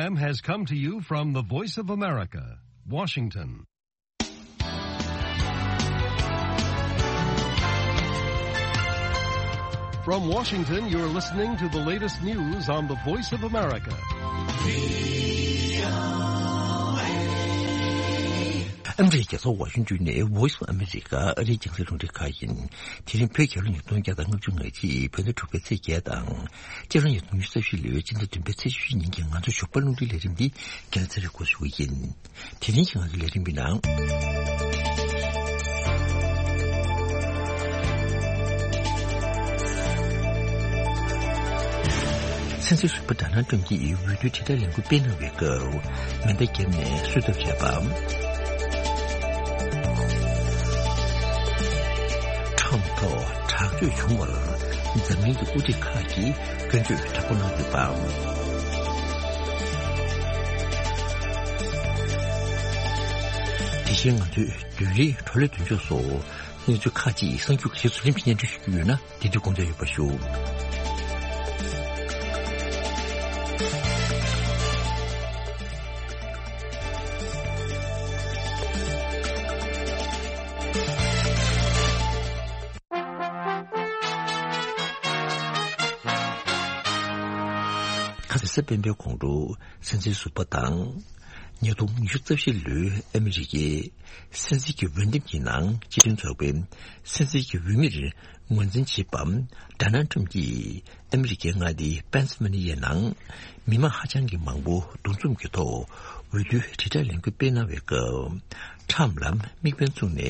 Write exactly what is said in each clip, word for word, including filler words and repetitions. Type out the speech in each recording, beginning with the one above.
Has come to you from the Voice of America, Washington. From Washington, you're listening to the latest news on the Voice of America. ཨ་མི་རི་ཀའི་རྒྱལ་ས་ཝ་ཤིང་ཏོན་ནས་Voice of America ཨ་རིའི་རྒྱང་སྲིང་རླུང་འཕྲིན་ཁང་ཡིན། དེ་རིང་བོད་རྒྱལ་ལོ་ཉིས་སྟོང་བརྒྱ་དང་ལྔ་བཅུ་ང་གཅིག་བོད་ཟླ་དྲུག་པའི་ཚེས་བརྒྱད་དང་། སྤྱི་ལོ་ཉིས་སྟོང་ཉི་ཤུ་རྩ་བཞི་ལོའི་སྤྱི་ཟླ་བདུན་པའི་ཚེས་བཅུ་གཅིག་ཉིན་གྱི་ང་ཚོའི་ཞོགས་པ་རླུང་འཕྲིན་ལས་རིམ་འདི་རྒན་ཚེ་རིང་སྐུ་ཞུ་གི་ཡིན། དེ་རིང་གི་ང་ཚོའི་ལས་རིམ་པའི་ནང་། སྲིད་འཛིན་ཟུར་པ་ཌོ་ནལ་ཊམ་གྱིས་འོས་བསྡུའི་དྲིལ་བསྒྲགས་ལས་འགུལ་སྤེལ་གནང་བའི་སྐབས་མེ་མདའ་བརྒྱབ་ནས་གསོད་ཐབས་བྱས་པ། ཊམ་ཐོག་དྲག་སྤྱོད་བྱུང་བར་འཛམ་གླིང་གི་དབུ་ཁྲིད་ཁག་གིས་སྐྱོན་བརྗོད་དྲག་པོ་གནང་ཡོད་པ། དེ་བཞིན་ང་ཚོས་བདུན་རེའི་བགྲོ་གླེང་མདུན་ལྕོག་སོགས་གནས་ཚུལ་ཁག་ཅིག་གསར་འགྱུར་གྱི་གཞི་བཟུང་རིམ་གྱིས་སྙན་སྒྲོན་ཞུ་རྒྱུ་ཡོད་ན། དེ་དུས་དགོངས་འཇགས་ཡོད་པ་ཞུ། ཁ་སང་གཟའ་སྤེན་པའི་དགོང་དྲོ་སྲིད་འཛིན་ཟུར་པ་དང་། ཉིས་སྟོང་ཉི་ཤུ་རྩ་བཞི་ལོའི་ཨ་མི་རི་ཀའི་སྲིད་འཛིན་གྱི་འོས་འདེམས་ཀྱི་ནང་སྤྱི་མཐུན་ཚོགས་པའི་སྲིད་འཛིན་གྱི་འོས་མིར་ངོས་འཛིན་བྱེད་པ་ཌོ་ནལ་ཊམ་གྱིས་ཨ་མི་རི་ཀའི་མངའ་སྡེ་པེན་སི་ལ་ཝ་ནི་ཡའི་ནང་མི་མང་ཧ་ཅང་གི་མང་པོ་འདུ་འཛོམས་ཀྱི་ཐོག་འོས་བསྡུའི་དྲིལ་བསྒྲགས་ལས་འགུལ་སྤེལ་གནང་བའི་སྐབས། ཊམ་ལ་དམིགས་འབེན་བཙུགས་ནས་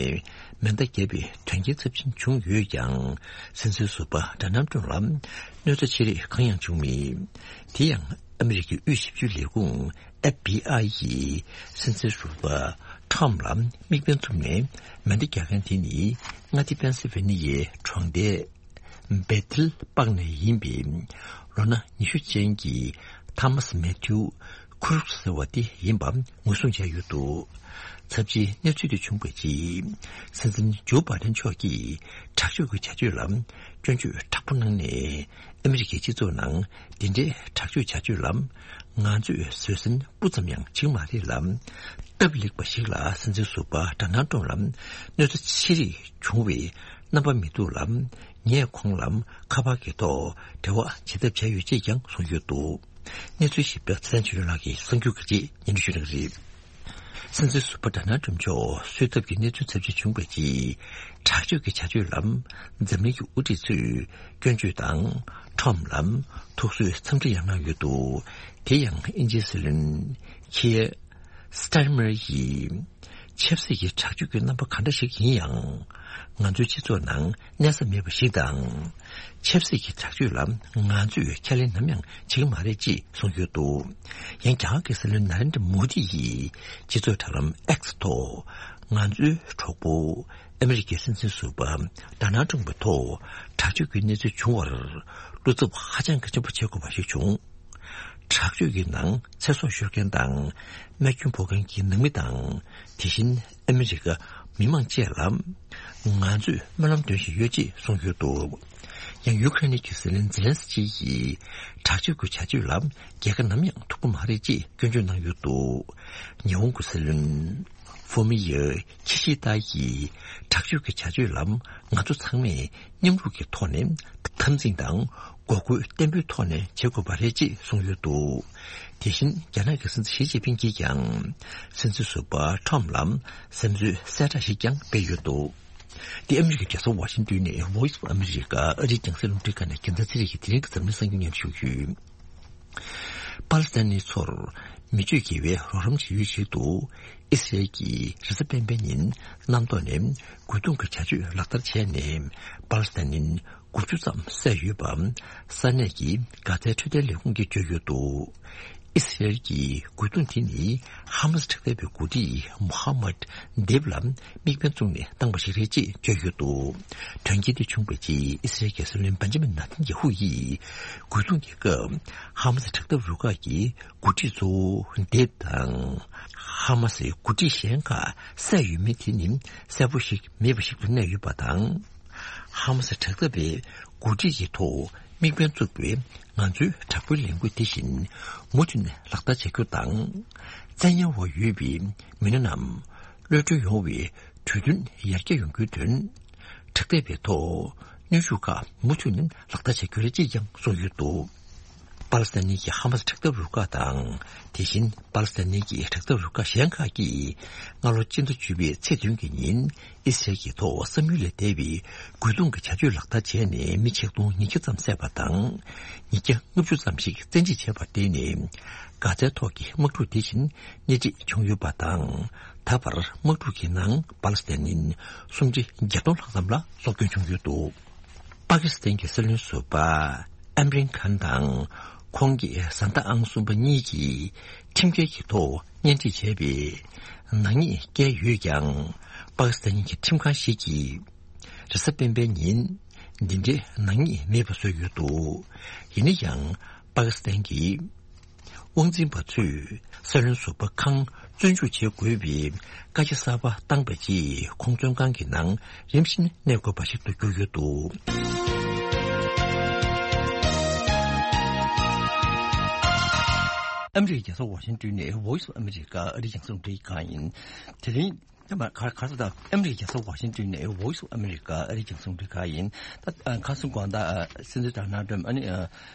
མེ་མདའ་བརྒྱབ་པའི་དོན་རྐྱེན་ཚབས་ཆེན་བྱུང་ཡོད་ཀྱང་། སྲིད་འཛིན་ཟུར་པ་ཌོ་ནལ་ཊམ་ལ་གནོད་འཚེ་ཆེ་རིགས་གང་ཡང་བྱུང་མེད། དེ་ཡང་ཨ་མི་རི་ཀའི་དབུས་ཞིབ་འཇུག་ལས་ཁུངས་ཨེཕ་བི་ཨའི་ཡིས་སྲིད་འཛིན་ཟུར་པ་ཊམ་ལ་དམིགས་འབེན་བཙུགས་ནས་མེ་མདའ་རྒྱག་མཁན་དེ་ནི་མངའ་སྡེ་པེན་སི་ཝེ་ནི་ཡའི་གྲོང་སྡེ་བེ་ཐིལ་པག་ནས་ཡིན་པའི་ལོ་ན་ཉི་ཤུ་ཅན་གྱི་ཐ་མཱ་སི་མེ་ཐིའུ་ཁུ་རུག་ཟེར་བ་དེ་ཡིན་པ་ངོས་བཟུང་བྱས་ཡོད་འདུག། ཚབས་ཆེའི་གནས་ཚུལ་དེ་བྱུང་བའི་རྗེས། སྲིད་འཛིན་ཇོ་བྷའི་ཌེན་མཆོག་གིས་དྲག་སྤྱོད་ཀྱི་བྱ་སྤྱོད་ལ་སྐྱོན་བརྗོད་དྲག་པོ་གནང་ནས། ཨ་མི་རི་ཀའི་སྤྱི་ཚོགས་ནང་འདི་འདྲའི་དྲག་སྤྱོད་བྱ་སྤྱོད་ལ་ང་ཚོས་བཟོད་བསྲན་སྤུ་ཙམ་ཡང་བྱེད་མ་རེད་ལ། སྟབས་ལེགས་པ་ཞིག་ལ་སྲིད་འཛིན་ཟུར་པ་ཌོ་ནལ་ཊམ་ལ་གནོད་འཚེ་ཆེ་རིགས་བྱུང་བའི་རྣམ་པ་མི་འདུག་ལ། ངས་ཁོང་ལ་ཁ་པར་གྱི་ཐོག་འབྲེལ་བ་བྱེད་ཐབས་བྱས་ཡོད་ཅེས་ཀྱང་གསུངས་ཡོད་འདུག། གནས་ཚུལ་ཞིབ་ཕྲ་ཚེ་བརྟན་ཆོས་སྒྲོན་ལགས་ཀྱིས་གསར་འགྱུར་གྱི་རྗེས་སྙན་སྒྲོན་ཞུ་གནང་གི་རེད། སྲིད་འཛིན་ཟུར་པ་ཌོ་ནལ་ཊམ་མཆོག་གསོད་ཐབས་ཀྱི་གནས་ཚུལ་ཚབས་ཆེ་བྱུང་བའི་རྗེས། དྲག་སྤྱོད་ཀྱི་བྱ་སྤྱོད་ལ་འཛམ་གླིང་གི་དབུ་ཁྲིད་ཚོས་སྐྱོན་བརྗོད་དང་ཊམ་ལ་ཐུགས་གསོའི་འཚམས་འདྲི་ཡང་གནང་ཡོད་འདུག། དེ་ཡང་དབྱིན་ཇིའི་སྲིད་བློན་ཁི་ཡར་སི་ཊར་མར་ཡིས། ཆབ་སྲིད་ཀྱི་དྲག་སྤྱོད་ཀྱི་རྣམ་པ་ག་འདྲ་ཞིག་ཡིན་ཡང་། ང་ཚོའི་སྤྱི་ཚོགས་ནང་གནས་ས་མེད་པ་ཞིག་དང་། ཆབ་སྲིད་ཀྱི་དྲག་སྤྱོད་ལ་ང་ཚོས་ཁས་ལེན་ནམ་ཡང་བྱེད་ཀྱི་མ་རེད་ཅེས་གསུངས་ཡོད་འདུག། ཡང་རྒྱ་གར་གྱི་སྲིད་བློན་ན་རེན་དྲ་མོ་དི་ཡིས་སྤྱི་ཚོགས་དྲ་ལམ་ཨེག་སི་ཐོག་ང་ཚོའི་གྲོགས་པོ་ཨ་མི་རི་ཀའི་སྲིད་འཛིན་ཟུར་པ་ཌོ་ནལ་ཊམ་པའི་ཐོག་དྲག་སྤྱོད་ཀྱི་གནས་ཚུལ་བྱུང་བར་བློ་འཚབ་ཧ་ཅང་གི་ཆེན་པོ་བྱེད་དགོས་པ་ཞིག་བྱུང་། དྲག་སྤྱོད་ཀྱི་ནང་ཚེ་སྲོག་ཤོར་མཁན་དང་རྨས་སྐྱོན་ཕོག་མཁན་གྱི་ནང་མི་དང་། དེ་བཞིན་ཨ་མི་རི་ཀ་མི་མང་བཅས་ལ་ང་ཚོས་སྨོན་ལམ་འདོན་བཞིན་ཡོད་ཅེས་གསུངས་ཡོད་འདུག། ཡང་ཡུ་ཁ་རེན་གྱི་སྲིད་བློན་ཛེ་ལན་སི་ཀི་ཡིས་དྲག་སྤྱོད་ཀྱི་བྱ་སྤྱོད་ལ་རྒྱལ་ཁ་ནམ་ཡང་ཐོབ་ཀྱི་མ་རེད་ཅེས་སྐྱོན་བརྗོད་གནང་ཡོད་འདུག། ཉི་ཧོང་གི་སྲིད་བློན་ཧྥུ་མི་ཡི་ཁི་ཤི་ད་ཡིས་དྲག་སྤྱོད་ཀྱི་བྱ་སྤྱོད་ལ་ང་ཚོ་ཚང་མས་མཉམ་རུབ་ཀྱི་ཐོག་ནས་འཐབ་འཛིང་དང་འགོག་རྒོལ་བརྟན་པོའི་ཐོག་ནས་བྱེད་དགོས་པ་རེད་ཅེས་གསུངས་ཡོད་འདུག། དེ་བཞིན་རྒྱ་ནག་གི་སྲིད་འཛིན་ཞི་ཅིན་ཕིང་གིས་ཀྱང་སྲིད་འཛིན་ཟུར་པ་ཊམ་ལ་བཟོད་གསོལ་གསལ་བསྒྲགས་ཤིག་ཀྱང་སྤེལ་ཡོད་འདུག། འདི་ཨ་མི་རི་ཀའི་རྒྱལ་ས་ཝ་ཤིང་ཏོན་ནས་Voice of America ཨ་རིའི་རྒྱང་སྲིང་རླུང་འཕྲིན་ཁང་ནས་རྒྱལ་མཚན་ཚེ་རིང་གིས་དེ་རིང་གི་འཛམ་གླིང་གསར་འགྱུར་སྙན་ཞུ་ཞུས། པ་ལི་སི་ཐན་ནི་ཚོར་མི་སྤྱོད་དགེ་བའི་རོགས་རམ་བྱེད་ཡུལ་ཞིག་ཏུ་ཨི་སི་རེལ་གྱིས་རེས་གཟའ་སྤེན་པའི་ཉིན་གནམ་ཐོག་ནས་རྒོལ་རྡུང་གི་བྱ་སྤྱོད་ལག་བསྟར་བྱས་ནས་པ་ལི་སི་ཐན་ནི་དགུ་བཅུ་ཙམ་བསད་ཡོད་པ་ས་གནས་ཀྱི་གྷ་ཛའི་འཕྲོད་བསྟེན་ལས་ཁུངས་ཀྱིས་བརྗོད་ཡོད་འདུག། ཨི་སི་རེལ་གྱི་རྒོལ་རྡུང་དེ་ནི་ཧ་མ་སི་དྲག་འཐབ་པའི་འགོ་ཁྲིད་མོ་ཧ་མད་དེབ་ལ་དམིགས་འབེན་བཙུགས་ནས་བཏང་བ་ཞིག་རེད་ཅེས་བརྗོད་ཡོད་འདུག། དོན་རྐྱེན་དེ་བྱུང་བའི་རྗེས་ཨི་སི་རེལ་གྱི་སྲིད་བློན་བན་ཇ་མིན་ནེ་ཐན་ཡ་ཧུ་ཡིས་རྒོལ་རྡུང་གི་སྐབས་ཧ་མ་སི་དྲག་འཐབ་རུ་ཁག་གི་འགོ་ཁྲིད་གཙོ་བོ་དེབ་དང་། ཧ་མ་སིའི་འགོ་ཁྲིད་གཞན་ཁག་བསད་ཡོད་མེད་དེ་ནི་གསལ་པོ་ཞིག་མེད་པ་ཞིག་ཏུ་གནས་ཡོད་པ་དང་། ཧ་མ་སི་དྲག་འཐབ་པའི་འགོ་ཁྲིད་ཀྱི་ཐོག་ དམིགས་འབེན་བཙུགས་པའི་ང་ཚོའི་དྲག་པོའི་ལས་འགུལ་དེ་བཞིན་མུ་མཐུད་ནས་ལག་བསྟར་བྱ་རྒྱུ་དང་། བཙན་ཉར་འོག་ཡོད་པའི་མི་སྣ་རྣམས་གློད་གྲོལ་ཡོང་བའི་གྲོས་མཐུན་ཡར་རྒྱས་ཡོང་རྒྱུའི་དོན། དྲག་འཐབ་པའི་ཐོག་གནོན་ཤུགས་ཁག་མུ་མཐུད་ནས་ལག་བསྟར་བྱ་རྒྱུ་རེད་ཅེས་ཀྱང་གསུངས་ཡོད་འདུག་པ་ལི་སི་ཐན་གྱི་ཧ་མ་སི་དྲག་འཐབ་རུ་ཁག་དང་། དེ་བཞིན་པ་ལི་སི་ཐན་གྱི་དྲག་འཐབ་རུ་ཁག་གཞན་ཁག་གིས་སྔ་ལོ་སྤྱི་ཟླ་བཅུ་པའི་ཚེས་བདུན་གྱི་ཉིན་ཨི་སི་རལ་གྱི་ཐོག་བསམ་ཡུལ་ལས་འདས་པའི་རྒོལ་རྡུང་གི་བྱ་སྤྱོད་ལག་བསྟར་བྱས་ནས་མི་ཆིག་སྟོང་ཉིས་བརྒྱ་ཙམ་བསད་པ་དང་། ཉིས་བརྒྱ་ལྔ་བཅུ་ཙམ་ཞིག་བཙན་ཁྲིད་བྱས་པར་བརྟེན་ནས། གྷ་ཛའི་ཐོག་གི་དམག་འཁྲུག་དེ་བཞིན་སྣེ་ཁྲིད་བྱུང་ཡོད་པ་དང་། ད་བར་དམག་འཁྲུག་གི་ནང་པ་ལི་སི་ཐན་ནི་སུམ་ཁྲི་བརྒྱད་སྟོང་ལྷག་ཙམ་ལ་སྲོག་སྐྱོན་བྱུང་ཡོད་འདུག་པ་ཀི་སི་ཐན་གྱི་སྲིད་བློན་ཟུར་པ་ཨེམ་རིན་ཁཱན་དང་ཁོང་གི་བཟའ་ཟླ་ཨང་གསུམ་པ་གཉིས་ཀྱིས་ཁྲིམས་འགལ་གྱི་ཐོག་གཉེན་སྒྲིག་བྱས་པའི་ནག་ཉེས་བཀལ་ཡོད་ཀྱང་། པ་ཀི་སི་ཐན་གྱི་ཁྲིམས་ཁང་ཞིག་གིས་རེས་གཟའ་སྤེན་པའི་ཉིན་འདི་འདྲའི་ནག་ཉེས་མེད་པ་བཟོས་ཡོད་འདུག་ཡིན་ན་ཡང་པ་ཀི་སི་ཐན་གྱི་དབང་འཛིན་པ་ཚོས་སྲིད་བློན་ཟུར་པ་ཁཱན་བཙོན་འཇུག་བྱེད་དགོས་པའི་བཀའ་རྒྱ་གསར་པ་བཏང་པ་རྗེས། ཁོང་བཙོན་ཁང་གི་ནང་རིམ་བཞིན་གནས་དགོས་པ་ཞིག་ཏུ་གྱུར་ཡོད་འདུག་ཨ་མི་རི་ཀའི་རྒྱལ་ས་ཝ་ཤིང་ཏོན་ནས་Voice of America ཨ་རིའི་རྒྱང་སྲིང་རླུང་འཕྲིན་ཁང་ཡིན། དེ་རིང་ད་མ་ག་ག་ས་དང་ཨ་མི་རི་ཀའི་རྒྱལ་ས་ཝ་ཤིང་ཏོན་ནས་Voice of America ཨ་རིའི་རྒྱང་སྲིང་རླུང་འཕྲིན་ཁང་ཡིན། ད་ཁ་སང་དགོང་དག་སྲིད་འཛིན་ཌོ་ནལ་ཊམ་ཨ་ནི་འོས་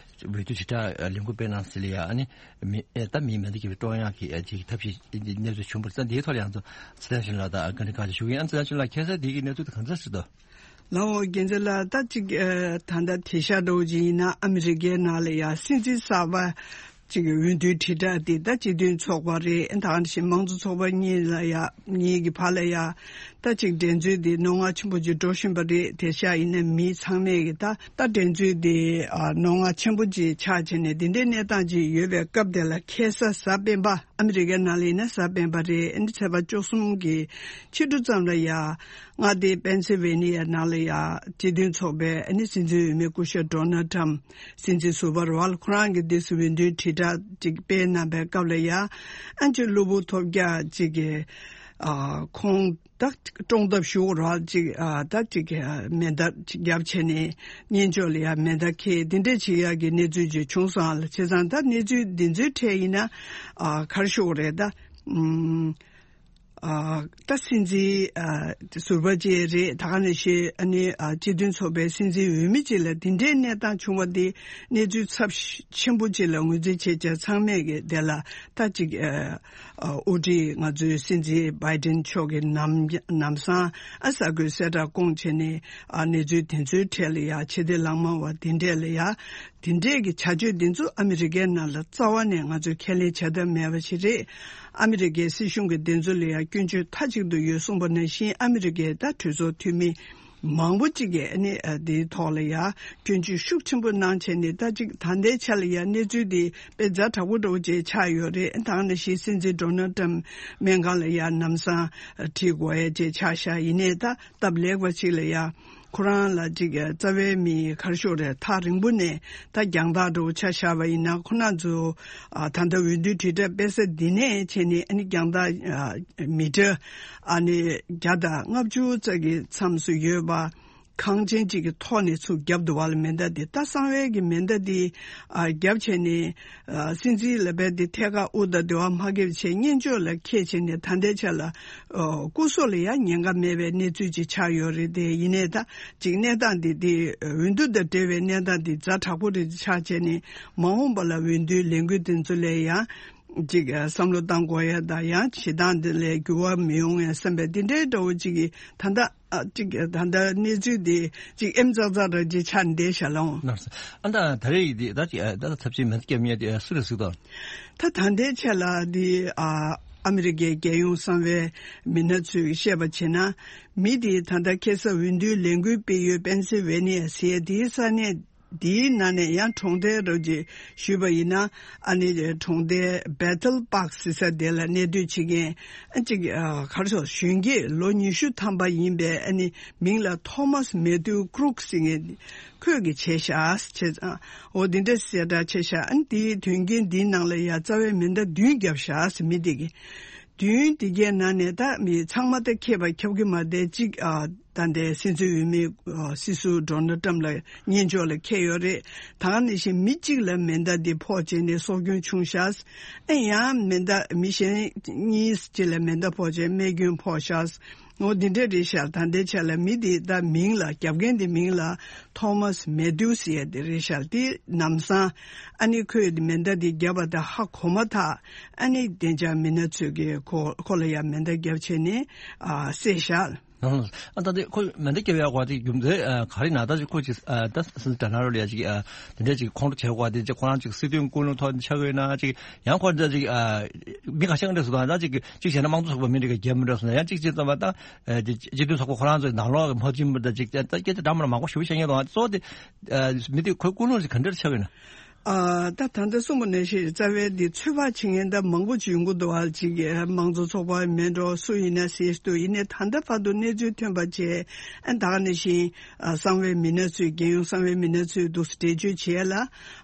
བསྡུ་དྲིལ་བསྒྲགས་ལས་འགུལ་སྤེལ་གནང་ཟེར་ལ་ཡ། ཨ་ནི་མི་ཨེ་ད་མིའི་མེ་མདའ་འཁྱེར་བའི་ཀྲོང་ཡངས་ཀྱི་ཨེ་ཅིག་ཐབས་ཤེས་གནས་ཚུལ་བྱུང་བ་རེད། ད་འདིའི་ཐོག་ལ་ཡང་ཚོ་སི་ཐན་ཤིན་ལགས་དང་ཀ་ནི་ཀ་ཅིག་ཞུ་གི་ཡིན། ཨ་ནི་སི་ཐན་ཤིན་ལགས་ཁ་སང་འདི་གི་གནས་ཚུལ་དེ་ག་འདྲ་ཞིག་འདུག་ལའོ་རྒྱལ་མཚན་ལགས། ད་ཅིག་ཨེ་ད་ལྟ་དེང་སང་འདྲ་བོ་ཅིག་ཡིན་ན་ཨ་མི་རི་ཀའི་ནང་ལ་ཡ་སྲིད་འཛིན་གསར་པ་ཅིག་འོས་བསྡུའི་དྲིལ་བསྒྲགས་དེ་ད་སྤྱི་མཐུན་ཚོགས་པ་རེད། ད་ག་ནང་བཞིན་མང་གཙོ་ཚོགས་པ་གཉིས་ལ་ཡ་གཉིས་ཀྱི་བར་ལ་ཡ་ད་ཅིག་འགྲན་རྩོད་དེ་རྣོ་ངར་ཆེན་པོ་ཅིག་འགྲོ་བཞིན་པ་རེད། དེང་སང་ཡིན་ན་མི་ཚང་མས་ཀྱི་ད་ད་འགྲན་རྩོད་དེ་ཨ་རྣོ་ངར་ཆེན་པོ་ཅིག་ཆགས་བྱས་ནས་དེ་འདྲའི་གནས་སྟངས་ཅིག་ཡོད་པའི་སྐབས་དེ་ལ་ཁ་སང་གཟའ་སྤེན་པ། ཨ་མི་རི་ཀའི་ནང་ལ་ཡིན་ན་གཟའ་སྤེན་པ་རེད། ཨ་ནི་ཚེས་པ་བཅུ་གསུམ་གྱི་ཕྱི་དྲོ་ཙམ་ལ་ཡ། མངའ་སྡེ་པེན་སིལ་ཝེ་ནི་ཡའི་ནང་ལ་ཡ་སྤྱི་མཐུན་ཚོགས་པའི་ཨ་ནི་སྲིད་འཛིན་འོས་མི་སྐུ་ཞབས་ཌོ་ནལ་ཊམ་སྲིད་འཛིན་ཟུར་པ་རེད་བ། ཁོ་རང་གིས་འདི་སུ་འོས་བསྡུའི་དྲིལ་བསྒྲགས་ཅིག་སྤེལ་གནང་པའི་སྐབས་ལ་ཡ། ཨ་ཅིག་གློ་བུར་ཐོལ་རྒྱག་ཅིག་གིས་ཨ་ཁོང་ད་བཀྲོངས་ཐབས་ཞུ་རོགས་ཅིག་ཨ་ད་ཅིག་མེ་མདའ་ཅིག་བརྒྱབ་བྱས་ནས་སྙན་ཅོག་ལ་ཡ་མེ་མདའ་འཁྱེར་འདི་འདྲས་བྱེད་ཡག་གི་གནས་ཚུལ་ཅིག་བྱུང་སོང་ཨ་ལ། བྱས་ཙང་ད་གནས་ཚུལ་འདི་ཚོའི་གྲས་ཡིན་ན་ཨ་ག་རེ་ཞུ་དགོས་རེད་ད། ཨ་ད་སྲིད་འཛིན་ཨ་ཟུར་པ་ཅིག་རེད། ད་ག་ནང་བཞིན་ཨ་ནི་ཨ་སྤྱི་མཐུན་ཚོགས་པའི་སྲིད་འཛིན་འོས་མི་ཅིག་ལ་འདི་འདྲའི་གནས་སྟངས་བྱུང་བ་འདི་གནས་ཚུལ་ཚབས་ཆེན་པོ་ཅིག་ལ་ངོས་འཛིན་བྱེད་བྱ་ཚང་མས་ཀྱི་དེ་ལ་ད་ཅིག་ཨ་ཨ་དབུ་ཁྲིད་ང་ཚོའི་སྲིད་འཛིན་བྷའི་ཏིན་མཆོག་གིས་ནམ་ནམ་སང་ཨ་གསར་འགོད་གསལ་བསྒྲགས་བསྐོངས་བྱས་ནས་ཨ་གནས་ཚུལ་དེ་ཚོའི་གྲས་ལ་ཡ་ཕྱི་བདེ་ལྷག་དམའ་བ་འདི་འདྲས་ལ་ཡ། དེ་འདྲས་ཀྱི་བྱ་སྤྱོད་འདི་ཚོ་ཨ་མི་རི་ཀའི་ནང་ལ་རྩ་བ་ནས་ང་ཚོས་ཁས་ལེན་བྱ་ཐབས་མེད་པ་ཞིག་རེད། ཨ་མི་རི་ཀའི་སྲིད་གཞུང་གི་འདི་ཚོ་ལ་ཡང་སྐྱོན་བརྗོད་མཐའ་གཅིག་ཏུ་ཡོད་གསུངས་པ་ནང་བཞིན། ཨ་མི་རི་ཀའི་ད་གྲོས་ཚོགས་འཐུས་མི་མང་པོ་གཅིག་གིས་ཨ་ནི་ཨ་འདིའི་ཐོག་ལ་ཡང་སྐྱོན་བརྗོད་ཤུགས་ཆེན་པོ་གནང་བྱས་ནས། ད་ཅིག་ད་ལྟའི་ཆ་ལ་ཡང་གནས་ཚུལ་འདི་དཔེ་ཛ་དྲག་པོ་འདྲ་བོ་ཅིག་ཆགས་ཡོད་རེད། ད་ག་ནང་བཞིན་སྲིད་འཛིན་ཌོ་ནལ་ཊམ་སྨན་ཁང་ལ་ཡང་ལམ་སང་ཁྲིད་དགོས་ཡ་ཅིག་ཆགས་ཤག་ཡིན་ནའི་ད། སྟབས་ལེགས་པ་ཅིག་ལ་ཡ། ཁོ་རང་ལ་ཅིག་རྩ་བའི་མི་ག་རེ་ཞུ་དགོས་རེད། ཐག་རིང་པོ་ནས་ད་རྒྱང་ཐག་འདྲ་བོ་ཆ་བཞག་པ་ཡིན་ན། ཁོ་རང་ཚོ་ཨ་ད་ལྟ་འོས་བསྡུ་དྲིལ་བསྒྲགས་སྤེལ་ས་འདི་ནས་བྱས་ནས་ཨ་ནི་རྒྱང་ཐག་ཨ་མི་ཊར་ཨ་ནི་བརྒྱ་དང་ལྔ་བཅུ་ཙམ་གྱི་མཚམས་སུ་ཡོད་པ། ཁང་ཆེན་ཅིག་གི་ཐོག་ནས་ཚུར་བརྒྱབ་འདུག་བ་ལ། མེ་མདའ་འདི་ད་གསང་བའི་གི་མེ་མདའ་འདི་ཨ་བརྒྱབ་བྱས་ནས། ཨ་སྲིད་འཛིན་ལ་བས་དེ་ཐད་ཀར་དབུ་དང་དེ་བ་མ་འགེབས་བྱས་སྙན་ཅོག་ལ་འཁྱེར་བྱས་ནས་ད་ལྟའི་ཆ་ལ་ཨོ་སྐུ་སྲོག་ལ་ཡང་ཉེན་ཁ་མེད་པའི་གནས་ཚུལ་ཅིག་ཆགས་ཡོད་རེད། དེ་ཡིན་ནའི་ད་ཅིག་གནས་སྟངས་འདི་དེ་འོས་བསྡུ་དང་འབྲེལ་བའི་གནས་སྟངས་འདི་ཛ་དྲག་པོ་རེད་ཆགས་བྱས་ནས། མ་འོངས་པ་ལ་འོས་བསྡུའི་ལས་འགུལ་དེ་ཚོ་ལ་ཡང་ཅིག་བསམ་བློ་བཏང་དགོས་ཡ་དང་། ཡང་བྱེད་སྟངས་འདི་ལ་འགྱུར་བ་མི་ཡོང་ངེས་བསམ་པའི་འདི་འདྲའི་འདྲ་བོ་ཅིག་གིས་ད་ལྟ། ཨ་ཅིག་ད་ལྟ་གནས་ཚུལ་འདི་ཅིག་ཨེམ་ཙག་ཙག་ར་ཅིག་ཆགས་བསྡད་ཤག་ལགས། ཨ་ད་ད་རེས་ཀྱི་འདི་ད་ཅིག་ཨ་ད་ད་ཚབས་ཆེན་མེད་སྐྱབས་ཉེ་དེ་སུ་རེད་ཟེར་དོ། ད་ད་ལྟའི་ཆ་ལ་འདི་ཨ་ཨ་མི་རི་ཀའི་རྒྱལ་ཡོངས་གསང་བའི་མི་སྣ་ཚོས་བཤད་པ་བྱས་ན། མི་འདི་ད་ལྟ་ཁ་སང་འོས་བསྡུའི་ལས་འགུལ་སྤེལ་ཡུལ་པེན་སིལ་ཝེ་ནི་ཡ་ཟེར་ཡ་འདིའི་ས་གནས། འདིའི་ནང་ནས་ཡང་གྲོང་རྡལ་རོགས་ཀྱིས་ཞུས་པ་ཡིན་ན། ཨ་ནི་གྲོང་རྡལ་Bethel Park ཟེར་ས་དེ་ལ་གནས་སྡོད་བྱེད་མཁན་ཨ་ཅིག་ཨ་ག་རེ་ཟེར། གཞོན་སྐྱེས་ལོ་ཉི་ཤུ་ཐམ་པ་ཡིན་པའི་ཨ་ནི་མིང་ལ་Thomas Matthew Crook ཟེར་མཁན་ཁོས་ཀྱིས་བྱས་ཤག་བྱས་ཙང་། འོ་འདི་འདྲ་གསལ་བསྒྲགས་བྱས་ཤག་ཨ་ནི་དེའི་དོན་རྐྱེན་འདིའི་ནང་ལ་ཡང་རྩ་བའི་མེ་མདའ་བདུན་བརྒྱབ་ཤག་ཟེར་མི་དེ་གིས། བདུན་དེ་གའི་ནང་ནས་ད་མི་ཚང་མ་ད་མཁས་པ་ཁྱབ་ཀྱི་མ་བསྡད་ཅིག་ཨ། ད་ལྟའི་སྲིད་འཛིན་འོས་མི་ཨ། སྲིད་ཟུར་ཌོ་ནལ་ཊམ་ལ་སྙན་ཕྱོགས་ལ་འཁེལ་ཡོད་རེད། ད་ག་ནང་བཞིན་མི་གཅིག་ལ་མེ་མདའ་འདི་ཕོག་བྱས་ནས་སྲོག་སྐྱོན་བྱུང་ཤག་ཨེ་ཡང་མེ་མདའ་མི་གཞན་གཉིས་ཅིག་ལ་མེ་མདའ་ཕོག་བྱས་རྨས་སྐྱོན་ཕོག་ཤག་འོ་འདི་འདྲ་རེད་ཤག་ད་ལྟའི་ཆ་ལ་མི་འདི་ད་མིང་ལ་རྒྱབ་མཁན་འདི་མིང་ལ་ཐོ་མཱས་མེ་ཐིའུ་སི་ཟེར་ཡ་འདི་རེད་ཤག་འདི་ལམ་སང་ཨ་ནི་ཁོས་མེ་མདའ་འདི་བརྒྱབ་པ་དང་ཧ་གོ་མ་ཐག་ཨ་ནི་བདེ་འཇགས་མི་སྣ་ཚོས་ཀྱིས་ཁོ་ཁོ་ལ་ཡ་མེ་མདའ་བརྒྱབ་བྱས་ནས་ཨ་བསད་ཤག་ཨ་ད་དེ་ཁོ་མེ་མདའ་བརྒྱབ་ཡག་གོ་དེ་རྒྱུ་མཚན་ག་རེ་ན་ད་ཅིག་ཁོ་ཅིག་ད་སྲིད་འཛིན་ཌོ་ནལ་ཊམ་ལ་ཡ་ཅིག་དེ་འདྲ་ཅིག་ཁོང་ཁྲོ་བྱེད་གོ་དེ་ཅིག་ཁོ་རང་ཅིག་སྲིད་དོན་ཀུན་སློང་ཐོག་ཆགས་ཡོད་ན་ཅིག་ཡང་ཁོ་འདྲ་ཅིག་མི་ཁ་ཤས་འདྲ་སུ་དང་ད་ཅིག་ཅིག་བྱས་ན་དམངས་གཙོ་ཚོགས་པ་མི་འདྲ་གི་རྒྱབ་མི་འདྲ་སུ་ན་ཡང་ཅིག་ཅིག་ཙམ་པ་ད་སྤྱི་འཐུས་ཚོགས་པ་ཁོ་རང་ཚོའི་ནང་ལོགས་ཀྱི་མ་བྱིན་པ་ད་ཅིག་ད་སྐད་ཆ་འདྲ་མ་འདྲ་མང་པོ་ཞུ་བྱེད་མཁན་དང་གཙོ་བོ་དེ་མི་དེ་ཁོའི་ཀུན་སློང་ཅིག་ག་འདྲ་ཆགས་ཡོད་ན། ཨ། ད་ད་ལྟ་གསུངས་པ་ནང་བཞིན་རྩ་བའི་འདི་ཚོད་དཔག་བྱེད་མཁན་ད་མང་པོ་ཅིག་ཡོང་གི་འདུག་ཨ། ཅིག་དམངས་གཙོ་ཚོགས་པ་མེད་འགྲོ་སུ་ཡིན་ན་ཟེར་འདུག་ཡིན་ནའི་ད་ལྟ་བར་དུ་གནས་ཚུལ་ཐོན་པ་བྱས་ཨ། ད་ག་ནང་བཞིན་ཨ། གསང་བའི་མི་སྣ་ཚོས་རྒྱལ་ཡོངས་གསང་བའི་མི་སྣ་ཚོས་འདུག་སེ་འགྲེལ་བརྗོད་བྱས་ལ་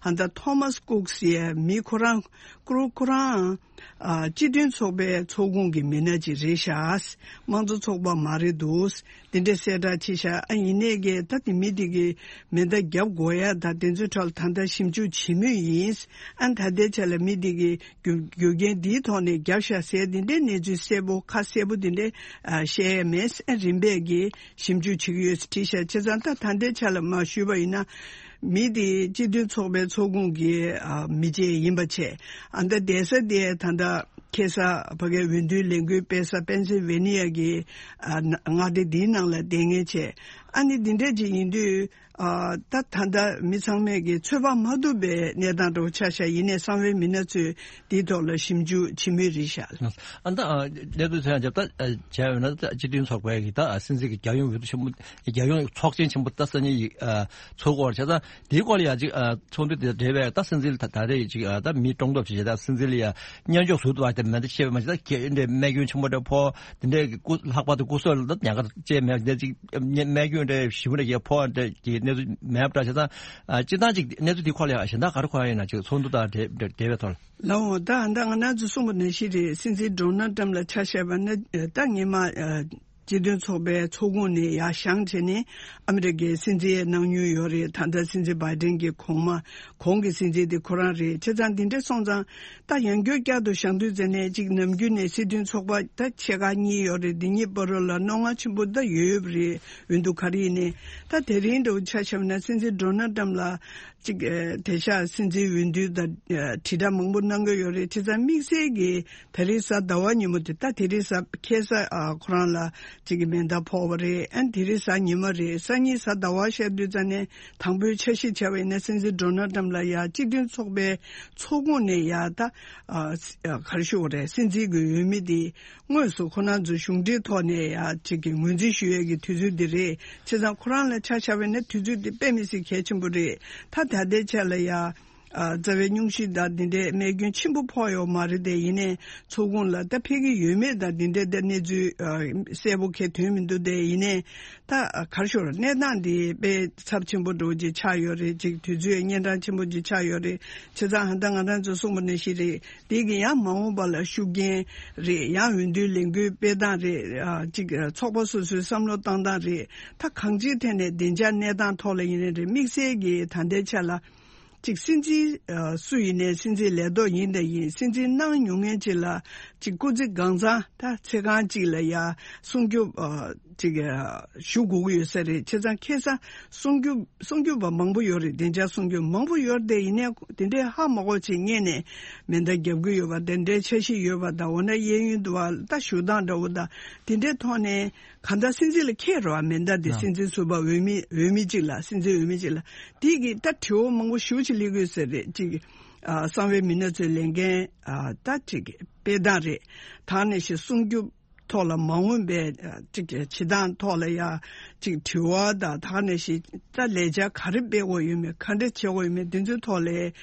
ཨ། ད་ཐོ་མཱས་ཀུག་ཟེར་མི་ཁོ་རང་ཀུ་རུ་ཁོ་རང་ཨ། སྤྱི་མཐུན་ཚོགས་པའི་ཚོགས་ཁོངས་ཀྱི་མི་སྣ་ཅིག་རེད་ཤག་དམངས་གཙོ་ཚོགས་པ་མ་རེད་འདུག་འདི་འདྲ་གསལ་བསྒྲགས་བྱས་ཤག་ཨ། ཡིན་ནའི་གི་ད་དེ་མི་དེ་གི་མེ་མདའ་བརྒྱབ་དགོས་ཡ་ད་དེ་ཚོའི་ཐོག་ལ་ད་ལྟ་ཞིབ་འཇུག་བྱེད་མུས་ཡིན། ཨ། ད་ལྟའི་ཆ་ལ་མི་དེ་གི་རྒྱུ་རྒྱུ་རྐྱེན་འདིའི་ཐོག་ནས་བརྒྱབ་ཤག་ཟེར་འདི་འདྲའི་གནས་ཚུལ་གསལ་པོ་ཁ་གསལ་པོ་འདི་འདྲའི་ཨ། བཤད་ཡ་མེད། ཨ། རིམ་པས་ཀྱི་ཞིབ་འཇུག་བྱེད་ཀྱི་ཡོད་ཟེར་བྲིས་ཤག་བྱས་ཙང་ད་ད་ལྟའི་ཆ་ལ་མར་ཞུས་པ་ཡིན་ན། མི་དེ་སྤྱི་མཐུན་ཚོགས་པའི་ཚོགས་ཁོངས་ཀྱི་ཨ། མི་བཅས་ཡིན་པ་བྱས། ཨ། ད་བསྡད་ས་དེ་ད་ལྟ་ཁ་སང་ཕ་གིའི་འོས་བསྡུའི་ལས་འགུལ་སྤེལ་ས་པེན་སིལ་ཝེ་ནི་ཡ་གི་ཨ། མངའ་སྡེ་འདིའི་ནང་ལ་བསྡད་མཁན་བྱས། ཨ་ནི་འདི་འདྲ་ཅིག་ཡིན་དུས་ཨ། ད་ད་ལྟ་མི་ཚང་མས་ཀྱི་ཚོད་དཔག་མ་ཐུབ་པའི་གནས་སྟངས་འདྲ་བོ་ཆགས་ཤག་ཡིན་ནའི་གསང་བའི་མི་སྣ་ཚོས་འདིའི་ཐོག་ལ་ཞིབ་འཇུག་བྱེད་མུས་རེད་ཤག་ཨ། ད་གནས་ཚུལ་ཚོད་ཡང་བརྒྱབ་ད་བྱས་ཡོད་ན་ད་སྤྱི་མཐུན་ཚོགས་པའི་གི་ད་སྲིད་འཛིན་གྱི་རྒྱལ་ཡོངས་འོས་བསྡུ་ཆེན་པོ་རྒྱལ་ཡོངས་ཚོགས་ཆེན་ཆེན་པོ་ད་སང་ཉིན་ཡིག་ཚོགས་སྐོར་བྱས་ཙང་དེའི་སྐོར་ལ་ཡང་ཅིག་ཚོགས་འདུ་དེ་འབྲེལ་བའི་ད་སྲིད་འཛིན་ད་ད་རེས་ཅིག་ད་མི་སྲུང་སྐྱོབ་བྱེད་ད་སྲིད་འཛིན་ལ་ཡང་སྙན་ཅོག་ཟུར་དུ་བ་དེ་མེ་མདའ་བཤད་པ་མ་ཟད་ད་གས་འདྲ་རྨས་སྐྱོན་ཆེན་པོ་འདྲ་ཕོག་དེ་འདྲའི་སྐུ་ལྷག་པར་དུ་སྐུ་སྲོག་ལ་ད་ཉེན་ཁ་བཅས་མེད་འདྲ་ཅིག་རྨས་སྐྱོན་འདྲ་ཞིབ་པོ་འདྲ་ཡང་ཕོག་འདྲ་གི་གནས་ཚུལ་མེད་པ་འདྲ་བྱས་ཙང་སྤྱིར་བཏང་ཅིག་གནས་ཚུལ་དེ་སྐོར་ལ་ཡང་གཞན་དག་ག་རེ་གོ་ཡ་ཡིན་ན་ཅིག་ཚོགས་འདུ་དང་འབྲེལ་བའི་ཐོག་ལ། ལགས་འོང་། ད་ད་ང་རང་ཚོ་གསུངས་པ་ནང་བཞིན་རེད། སྲིད་འཛིན་ཌོ་ནལ་ཊམ་ལ་ཆ་བཞག་པ་ན་ད་སྔོན་མ་སྤྱི་མཐུན་ཚོགས་པའི་ཚོགས་ཁོངས་ནས་ཡར་བཞེངས་བྱས་ནས་ཨ་མི་རི་ཀའི་སྲིད་འཛིན་གནང་མྱོང་ཡོད་རེད། ད་ལྟ་སྲིད་འཛིན་བྷའི་ཌེན་གྱི་གོང་མ་གོང་གི་སྲིད་འཛིན་དེ་ཁོ་རང་རེད། བྱས་ཙང་འདི་འདྲ་སོང་ཙང་ད་ཡང་བསྐྱར་བསྐྱར་དུ་བཞེངས་དུས་ཙམ་ནས་ཅིག་ནམ་རྒྱུན་ནས་སྲིད་མཐུན་ཚོགས་པ་ད་ཆེ་ཁག་གཉིས་ཡོད་རེད། འདི་གཉིས་བར་ལ་རྣོ་ངར་ཆེན་པོ་ད་ཡོད་ཡོད་རེད། འོན་ཏུ་ག་རེ་ཡིན་ནའི་ད་དེ་རིང་འདྲ་བོ་ཆ་བཞག་ན་སྲིད་འཛིན་ཌོ་ནལ་ཊམ་ལ། གཅིག་དེང་སང་སྲིད་འཛིན་འོས་བསྡུ་དང་དྲིལ་བསྒྲགས་མང་པོ་གནང་གི་ཡོད་རེད། བྱས་ཙང་དམིགས་བསལ་གྱིས་ད་རེས་གཟའ་ཟླ་བ་ཉིན་མོ་དེ་ད་དེ་རིང་གཟའ་ཁ་སང་ཨ་ཁོ་རང་ལ་གཅིག་གི་མེ་མདའ་ཕོག་པ་རེད། ཨ་ནི་དེ་རིང་གཟའ་ཉི་མ་རེད། སང་ཉིན་གཟའ་ཟླ་བ་བཤད་དུས་ཙམ་ནས་དང་པོའི་འཆར་གཞི་བྱས་པ་ཡིན་ན་སྲིད་འཛིན་ཌོ་ནལ་ཊམ་ལ་ཡ་སྤྱི་མཐུན་ཚོགས་པའི་ཚོགས་ཁོངས་ནས་ཡ་ད་ཨ་ག་རེ་ཞུ་དགོས་རེད། སྲིད་འཛིན་གྱི་འོས་མི་དེ། དངོས་སུ་ཁོ་རང་ཚོའི་གཞུང་འབྲེལ་ཐོག་ནས་ཡ་གཅིག་གི་ངོས་འཛིན་ཞུ་ཡས་ཀྱི་དུས་ཚོད་འདི་རེད། བྱས་ཙང་ཁོ་རང་ལ་ཆ་བཞག་པ་ཡིན་ན་དུས་ཚོད་འདི་དཔེ་མི་སྲིད་གལ་ཆེན་པོ་རེད། ད་ད་ལྟའི་ཆ་ལ་ཡ་ཨ་རྩ་བའི་སྙུང་གཞི་དང་འདི་འདྲའི་རྨས་སྐྱོན་ཆེན་པོ་ཕོག་ཡོད་མ་རེད་དེ། ཡིན་ནའི་ཚོགས་ཁོངས་ལ་ད་ཕེབས་ཀྱི་ཡོད་མེད་དང་འདི་འདྲའི་ད་གནས་ཚུལ་ཨ་གསལ་པོ་གང་ཡང་ཐོན་མི་འདུག་དེ། ཡིན་ནའི་ད་ག་རེ་ཞུ་དགོས་རེད། གནས་སྟངས་འདི་དཔེ་ཚབས་ཆེན་པོ་འདྲ་བོ་ཅིག་ཆགས་ཡོད་རེད། ཅིག་དུས་ཚོད་གཉན་འཕྲང་ཆེན་པོ་ཅིག་ཆགས་ཡོད་རེད། བྱས་ཙང་ད་ང་རང་ཚོ་གསུངས་པ་ནང་བཞིན་རེད། དེ་གི་ཡང་མ་འོངས་པ་ལ་ཤུགས་རྐྱེན་རེད། ཡང་འོས་བསྡུའི་ལས་འགུལ་སྤེལ་སྟངས་རེད། ཨ་ཅིག་ཚོགས་པ་སོ་སོའི་བསམ་བློ་བཏང་སྟངས་རེད། ད་གང་ཅིའི་ཐད་ནས་བདེ་འཇགས་གནས་སྟངས་ཐོག་ལ་ཡིན་ནའི་རེད། དམིགས་བསལ་གྱི་ད་ལྟའི་ཆ་ལ་ཅིག་སྲིད་འཛིན་ཨ་སུ་ཡིན་ནའི་སྲིད་འཛིན་ལས་ཐོག་ཡིན་དང་ཡིན། སྲིད་འཛིན་གནང་མྱོང་མཁན་ཅིག་ལ་ཅིག་སྐུ་ཚེ་གང་ཚང་ད་ཚེ་གང་ཅིག་ལ་ཡ་སྲུང་སྐྱོབ་ཨ་ཅིག་ཨ་ཞུ་དགོས་ཀྱི་ཡོད་ས་རེད། བྱས་ཙང་ཁ་སང་སྲུང་སྐྱོབ་སྲུང་སྐྱོབ་པ་མང་པོ་ཡོད་རེད། བདེ་འཇགས་སྲུང་སྐྱོབ་མང་པོ་ཡོད་རེད་དེ། ཡིན་ནའི་དེ་འདྲའི་ཧ་མ་གོ་ཅིག་སྔོན་ནས་མེ་མདའ་བརྒྱབ་ཀྱི་ཡོད་པ་དེ་འདྲའི་འཆར་གཞི་ཡོད་པ་དང་། འོ་ན་གཡས་གཡོན་དུ་བ་ད་བཞུགས་སྟངས་འདྲ་བོ་དང་དེ་འདྲའི་ཐོག་ནས་གང་ལྟར་སྲིད་འཛིན་ལ་འཁེལ་རོགས། མེ་མདའ་དེ་སྲིད་འཛིན་ཟུར་པ་འོས་མི་འོས་མི་གཅིག་ལ་སྲིད་འཛིན་འོས་མི་གཅིག་ལ་དེ་གི་ད་དྲི་བ་མང་པོ་ཞེ་པོ་ཅིག་སླེབས་ཀྱི་ཡོད་ས་རེད། ཅིག་ཨ་གསང་བའི་མི་སྣ་ཚོའི་ལས་འགན་ཨ་ད་ཅིག་སྤེལ་སྟངས་རེད། ད་ནས་ཤིག་སྲུང་སྐྱོབ་ཐོག་ལ་མ་འོངས་པའི་ཅིག་བྱེད་སྟངས་ཐོག་ལ་ཡ་ཅིག་དྲི་བ་དང་། ད་ག་ནང་བཞིན་ད་ལས་འཆར་ག་རེ་སྤེལ་དགོས་ཡོད་མེད། ག་འདྲ་བྱེད་དགོས་ཡོད་མེད། འདི་ཚོའི་ཐོག་ལ་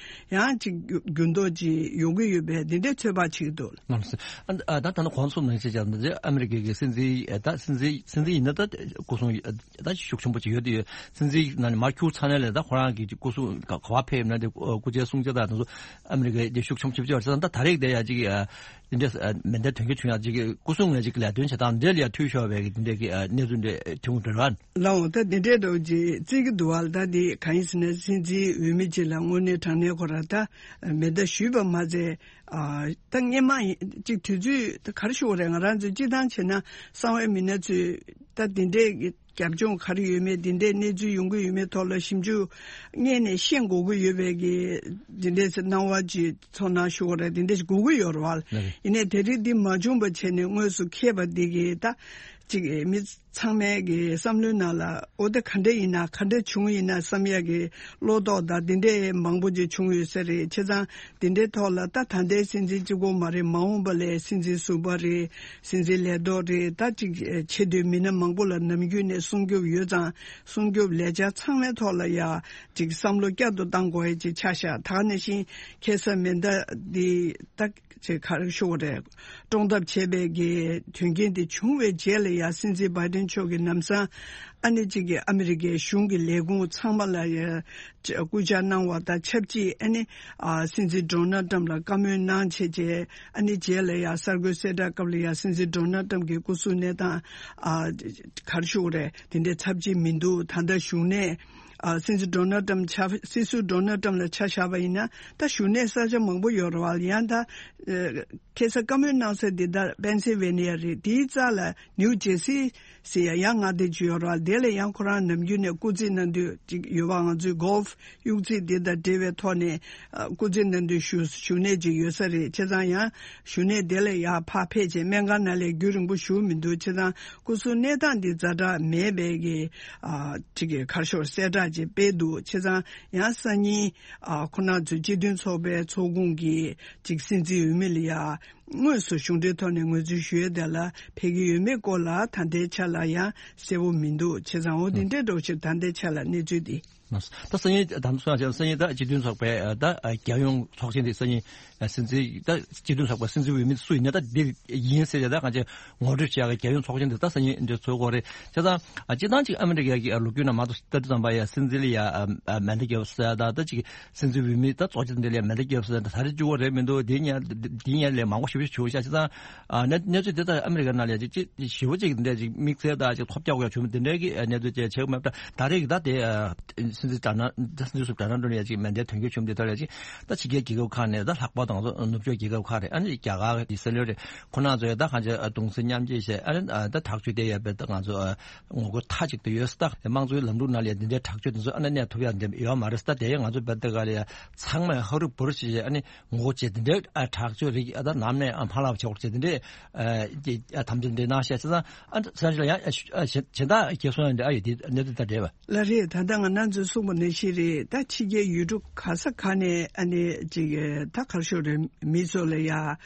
ཡང་ཅིག་འགྱུར་འགྱུར་ལྡོག་ཅིག་ཡོང་གི་ཡོད་པའི་འདི་འདྲའི་ཚོད་དཔག་བྱེད་ཀྱི་འདུག་ལགས་སོ། ཨ་ད་ད་ནི་གོང་གསུངས་ནང་བཞིན་བྱས་ན་ཨ་མི་རི་ཀའི་གི་སྲིད་འཛིན་ད་སྲིད་འཛིན་སྲིད་འཛིན་ཡིན་ན་ད་སྐུ་སྲུང་ད་ཤུགས་ཆེན་པོ་ཅིག་ཡོད་དེ། སྲིད་འཛིན་ནང་ནས་མར་ཁྱུར་ཚར་ནས་ལས་ད་ཁོ་རང་གི་སྐུ་སྲུང་ག་ག་བ་ཕེབས་ན་དེ་སྐུ་ཕྱྭའི་སྲུང་བྱ་དང་དེ་ཚོ་ཨ་མི་རི་ཀའི་དེ་ཤུགས་ཆེན་པོ་ཅིག་བྱས་པ་ད་ད་རེས་དེ་ཡ་ཅིག་དེ་འདྲས་ཨ་མེ་མདའི་དོན་འཁྱོལ་བྱུང་ཡག་ཅིག་གི་སྐུ་སྲུང་ལས་ཅིག་ལས་དོན་བྱེད་སྟངས་འདྲ་ལ་ཡ་འཐུས་ཤོར་བའི་གི་དེ་འདྲས་ཀྱི་ཨ་གནས་ཚུལ་འདྲ་ཐོན་གྱི་འདུག་ར། ལའོ་ད་དེ་འདྲས་འགྲོ་ཅིག་བརྩི་གི་འདུག་བ། ད་དེ་གང་ཡིན་ཟེར་ན་སྲིད་འཛིན་འོས་མི་ཅིག་ལ་དངོས་གནས་དྲང་གནས་ཁོ་ར་ད་མེ་མདའ་གཞུས་པ་མ་ཚད། ཨ་ད་སྔོན་མ་ཡིན་ཅིག་དུས་ཚོད་ད་ག་རེ་ཞུ་དགོས་རེད། ང་རང་ཚོས་སྤྱི་བཏང་བྱས་ན་གསང་བའི་མི་སྣ་ཚོས་ད་དེ་འདྲས་ཀྱི་རྒྱབ་ལྗོངས་ག་རེ་ཡོད་མེད། དེ་འདྲའི་གནས་ཚུལ་ཡོང་གི་ཡོད་མེད་ཐོག་ལ་ཞིབ་འཇུག་སྔོན་ནས་ཤེས་དགོས་ཀྱི་ཡོད་པའི་གི་དེ་འདྲའི་སྣང་བ་ཅིག་ཚོར་སྣང་ཞུ་དགོས་རེད། དེ་འདྲ་ཞིག་དགོས་ཀྱི་ཡོད་རེད་བ། ཡིན་ནའི་དེ་རིང་འདི་མ་བྱུང་བ་བྱས་ནས་དངོས་སུ་འཁེལ་བ་འདི་གི་ད་ཅིག་མི་ཚང་མའི་གི་བསམ་བློའི་ནང་ལ་འོ་ད་ག་འདྲ་ཡིན་ན་ག་འདྲ་བྱུང་ཡིན་ན་བསམ་ཡག་གི་བློ་དོགས་དང་དེ་འདྲའི་མང་པོ་ཅིག་བྱུང་ཡོད་ས་རེད། བྱས་ཙང་དེ་འདྲའི་ཐོག་ལ་ད་ད་ལྟའི་སྲིད་འཛིན་གཅིག་པོ་མ་རེད། མ་འོངས་པ་ལ་སྲིད་འཛིན་ཟུར་པ་རེད། སྲིད་འཛིན་ལས་ཐོག་རེད། ད་ཅིག་ཆེ་བསྟོད་མི་སྣ་མང་པོ་ལ་ནམ་རྒྱུན་ནས་སྲུང་སྐྱོབ་ཡོད་ཙང་། སྲུང་སྐྱོབ་ལས་འཆར་ཚང་མའི་ཐོག་ལ་ཡ་ཅིག་བསམ་བློ་བསྐྱར་དུ་བཏང་དགོས་ཡ་ཅིག་ཆགས་ཤག་ད་ག་ནང་བཞིན་ཁ་སང་མེ་མདའ་འདི་ད་ཅིག་ག་རེ་ཞུ་དགོས་རེད། བཀྲོངས་ཐབས་བྱས་པའི་གི་དོན་རྐྱེན་དེ་བྱུང་བའི་རྗེས་ལ་ཡ་སྲིད་འཛིན་བྷའི་ཌེན་མཆོག་གིས་ལམ་སང་ཨ་ནི་ཅིག་གི་ཨ་མི་རི་ཀའི་གཞུང་གི་ལས་ཁུངས་ཚང་མ་ལ་ཡ་སྐུལ་ལྕག་གནང་བ་དང་ཆབས་ཅིག་ཨ་ནི་ཨ་སྲིད་འཛིན་ཌོ་ནལ་ཊམ་ལ་བཀའ་མོལ་གནང་བྱས་རྗེས། ཨ་ནི་རྗེས་ལ་ཡ་གསར་འགོད་གསལ་བསྒྲགས་སྐབས་ལ་ཡ་སྲིད་འཛིན་ཌོ་ནལ་ཊམ་གྱི་སྐུ་གཟུགས་གནས་སྟངས་ཨ་ག་རེ་ཞུ་དགོས་རེད། དེ་འདྲའི་ཚབས་ཆེ་མི་འདུག་ད་ལྟ་བཞུགས་གནས་ཨ་སྲིད་འཛིན་ཌོ་ནལ་ཊམ་ཆ་སྲིད་ཟུར་ཌོ་ནལ་ཊམ་ལ་ཆ་བཞག་པ་ཡིན་ན་ད་བཞུགས་གནས་ས་ཆ་མང་པོ་ཡོད་རེད་བ། ཡང་ད་ཨ་ཁ་སང་བཀའ་མོལ་གནང་ས་འདི་ད་པེན་སིལ་ཝེ་ནི་ཡ་རེད། དེའི་རྩ་ལ་ནིའུ་ཇེར་སི་ཟེར་ཡ་ཡང་མངའ་སྡེ་ཅིག་ཡོད་རེད་བ། དེ་ལ་ཡང་ཁོ་རང་ནམ་རྒྱུན་ནས་སྐུ་རྩེད་གནང་དུས་ཅིག་ཡོད་པ། ང་ཚོའི་གོལ་ཕ་གཡུག་རྩེད་འདི་དང་འབྲེལ་བའི་ཐོག་ནས་ཨ་སྐུ་རྩེད་གནང་དུས་བཞུགས་བཞུགས་གནས་ཅིག་ཡོད་ས་རེད། བྱས་ཙང་ཡང་བཞུགས་གནས་དེ་ལ་ཡར་ཕར་ཕེབས་བྱས་སྨན་ཁང་ནང་ལ་རྒྱུན་རིང་པོ་བཞུགས་མི་འདུག་བྱས་ཙང་སྐུ་གཟུགས་གནས་སྟངས་འདི་ཛ་དྲག་མེད་པའི་གི་ཨ་ཅིག་གི་ག་རེ་ཞུ་གསལ་བསྒྲགས་ཅིག་སྤེལ་འདུག་བྱས་ཙང་ཡང་སང་ཉིན་ཨ་ཁོ་རང་ཚོའི་སྤྱི་མཐུན་ཚོགས་པའི་ཚོགས་ཁོངས་ཀྱི་ཅིག་སྲིད་འཛིན་འོས་མི་ལ་ཡ་དངོས་སུ་གཞུང་འབྲེལ་ཐོག་ནས་ངོས་འཛིན་ཞུ་ཡས་དེ་ལ་ཕེབས་ཀྱི་ཡོད་མེད་སྐོར་ལ་ད་ལྟའི་ཆ་ལ་ཡང་གསལ་པོ་མི་འདུག་བྱས་ཙང་འོ་དེ་འདྲའི་འགྲོ་ཕྱིར་ད་ལྟའི་ཆ་ལ་གནས་ཚུལ་འདི། ད་སང་ཉིན་དང་སང་ཉིན་ད་སྤྱི་མཐུན་ཚོགས་པའི་ད་རྒྱལ་ཡོངས་ཚོགས་ཆེན་འདི་སང་ཉིན་སྲིད་འཛིན་ད་སྤྱི་མཐུན་ཚོགས་པའི་སྲིད་འཛིན་འོས་མི་སུ་ཡིན་ན་ད་འདི་ཡིན་ཟེར་ཡ་ད་གང་ཅི་ངོ་སྤྲོད་བྱེད་ཡ་གི་རྒྱལ་ཡོངས་ཚོགས་ཆེན་འདི་ད་སང་ཉིན་འདི་ཚོགས་ཀྱི་ཡོད་རེད། བྱས་ཙང་སྤྱིར་བཏང་ཅིག་ཨ་མི་རི་ཀའི་ལོ་རྒྱུས་ནང་མ་གཏོགས་ལྟ་དུས་ཙམ་པ་ཡ་སྲིད་འཛིན་ལ་ཡ་མེ་མདའ་བརྒྱབ་ཟེར་ཡ་ད་ད་ཅིག་སྲིད་འཛིན་འོས་མི་ད་ཚོགས་ཆེན་འདི་ལ་མེ་མདའ་བརྒྱབ་ཟེར་ད་ད་རེས་གཅིག་པོ་རེད་མི་འདུག་འདི་ཉིད་འདི་ཉིད་ལས་མང་པོ་ཞེ་པོ་ཞིག་བྱུང་བ་བྱས་ཙང་། ཨ་གནས་གནས་ཚུལ་དེ་ལྟར་ཨ་མི་རི་ཀ་ནང་ལ་ཅིག་ཅིག་ཞེ་པོ་ཅིག་འདི་ཅིག་དམིགས་བསལ་དང་ཅིག་ཐོལ་རྒྱག་དགོས་ཡ་བྱུང་མི་དེ་འདྲའི་གི་གནས་ཚུལ་ཅིག་བྱེད་ཀྱི་མེད་པ། ད་རེས་ཀྱི་ད་དེ་སྲིད་འཛིན་ཌོ་ནལ་སྲིད་འཛིན་ཟུར་ཌོ་ནལ་ཊམ་ལ་ཅིག་མེ་མདའི་དོན་འཁྱོལ་བྱུང་མི་དེ་ལྟར་ལ་ཅིག་ད་ཕྱི་རྒྱལ་རྒྱལ་ཁབ་ཁག་ནས་ད་ལྷག་པར་དུ་ང་ཚོ་ནུབ་ཕྱོགས་རྒྱལ་ཁབ་ཁག་རེད། ཨ་ནི་རྒྱ་གར་ཨི་སི་རལ་རེད། ཁོ་རང་ཚོ་ཡ་ད་གང་ཅི་གདུང་སེམས་མཉམ་སྐྱེད་བྱས་ཨ་ནི་ད་དྲག་སྤྱོད་དེ་ཡོད་པའི་ད་ང་ཚོ་ངོ་རྒོལ་མཐའ་གཅིག་ཏུ་ཡོད་ས། ད་དམངས་གཙོའི་ལམ་ལུགས་ནང་ལ་ཡ་འདི་འདྲའི་དྲག་སྤྱོད་དེ་ཚོ་ཨ་ནི་གནས་ཐུབ་ཡ་འདི་ཡོད་མ་རེད་ས། ད་དེ་ཡ་ང་ཚོ་བལ་ཏི་ག་ལ་ཡ་ཚང་མས་ཧ་རུ་བུ་རུ་བྱས་བྱས་ཨ་ནི། ངོ་རྒོལ་བྱས་དེ་འདྲའི་ཨ་དྲག་སྤྱོད་རིགས་ཨ་ད་ནམ་ནས་ཨ་ཕར་ལ་བྱེད་དགོས་བྱས་དེ་འདྲའི་ཨ་ཨ་དམ་བཅའ་འདྲ་གནང་བཞག་བྱས་ཙང་ཨ་ས་ཆ་ལ་ཡང་ཨ་ཞུ་ཨ་གཞན་གཞན་དག་རྒྱལ་སོང་ཡང་འདྲ་ཨ་ཡོད་དེ་གནས་ཚུལ་ད་འདྲ་བ། ལགས་རེད། ད་ལྟ་ང་རང་ཚོས་གསུངས་པ་ནང་བཞིན་རེད། ད་ཕྱི་རྒྱལ་ཡུལ་གྲུ་ག་ས་ག་ནས་ཨ་ནི་ཅིག་ད་ག་རེ་ཞུ་རེད། མི་ཚོ་ལ་ཡ་ཨ་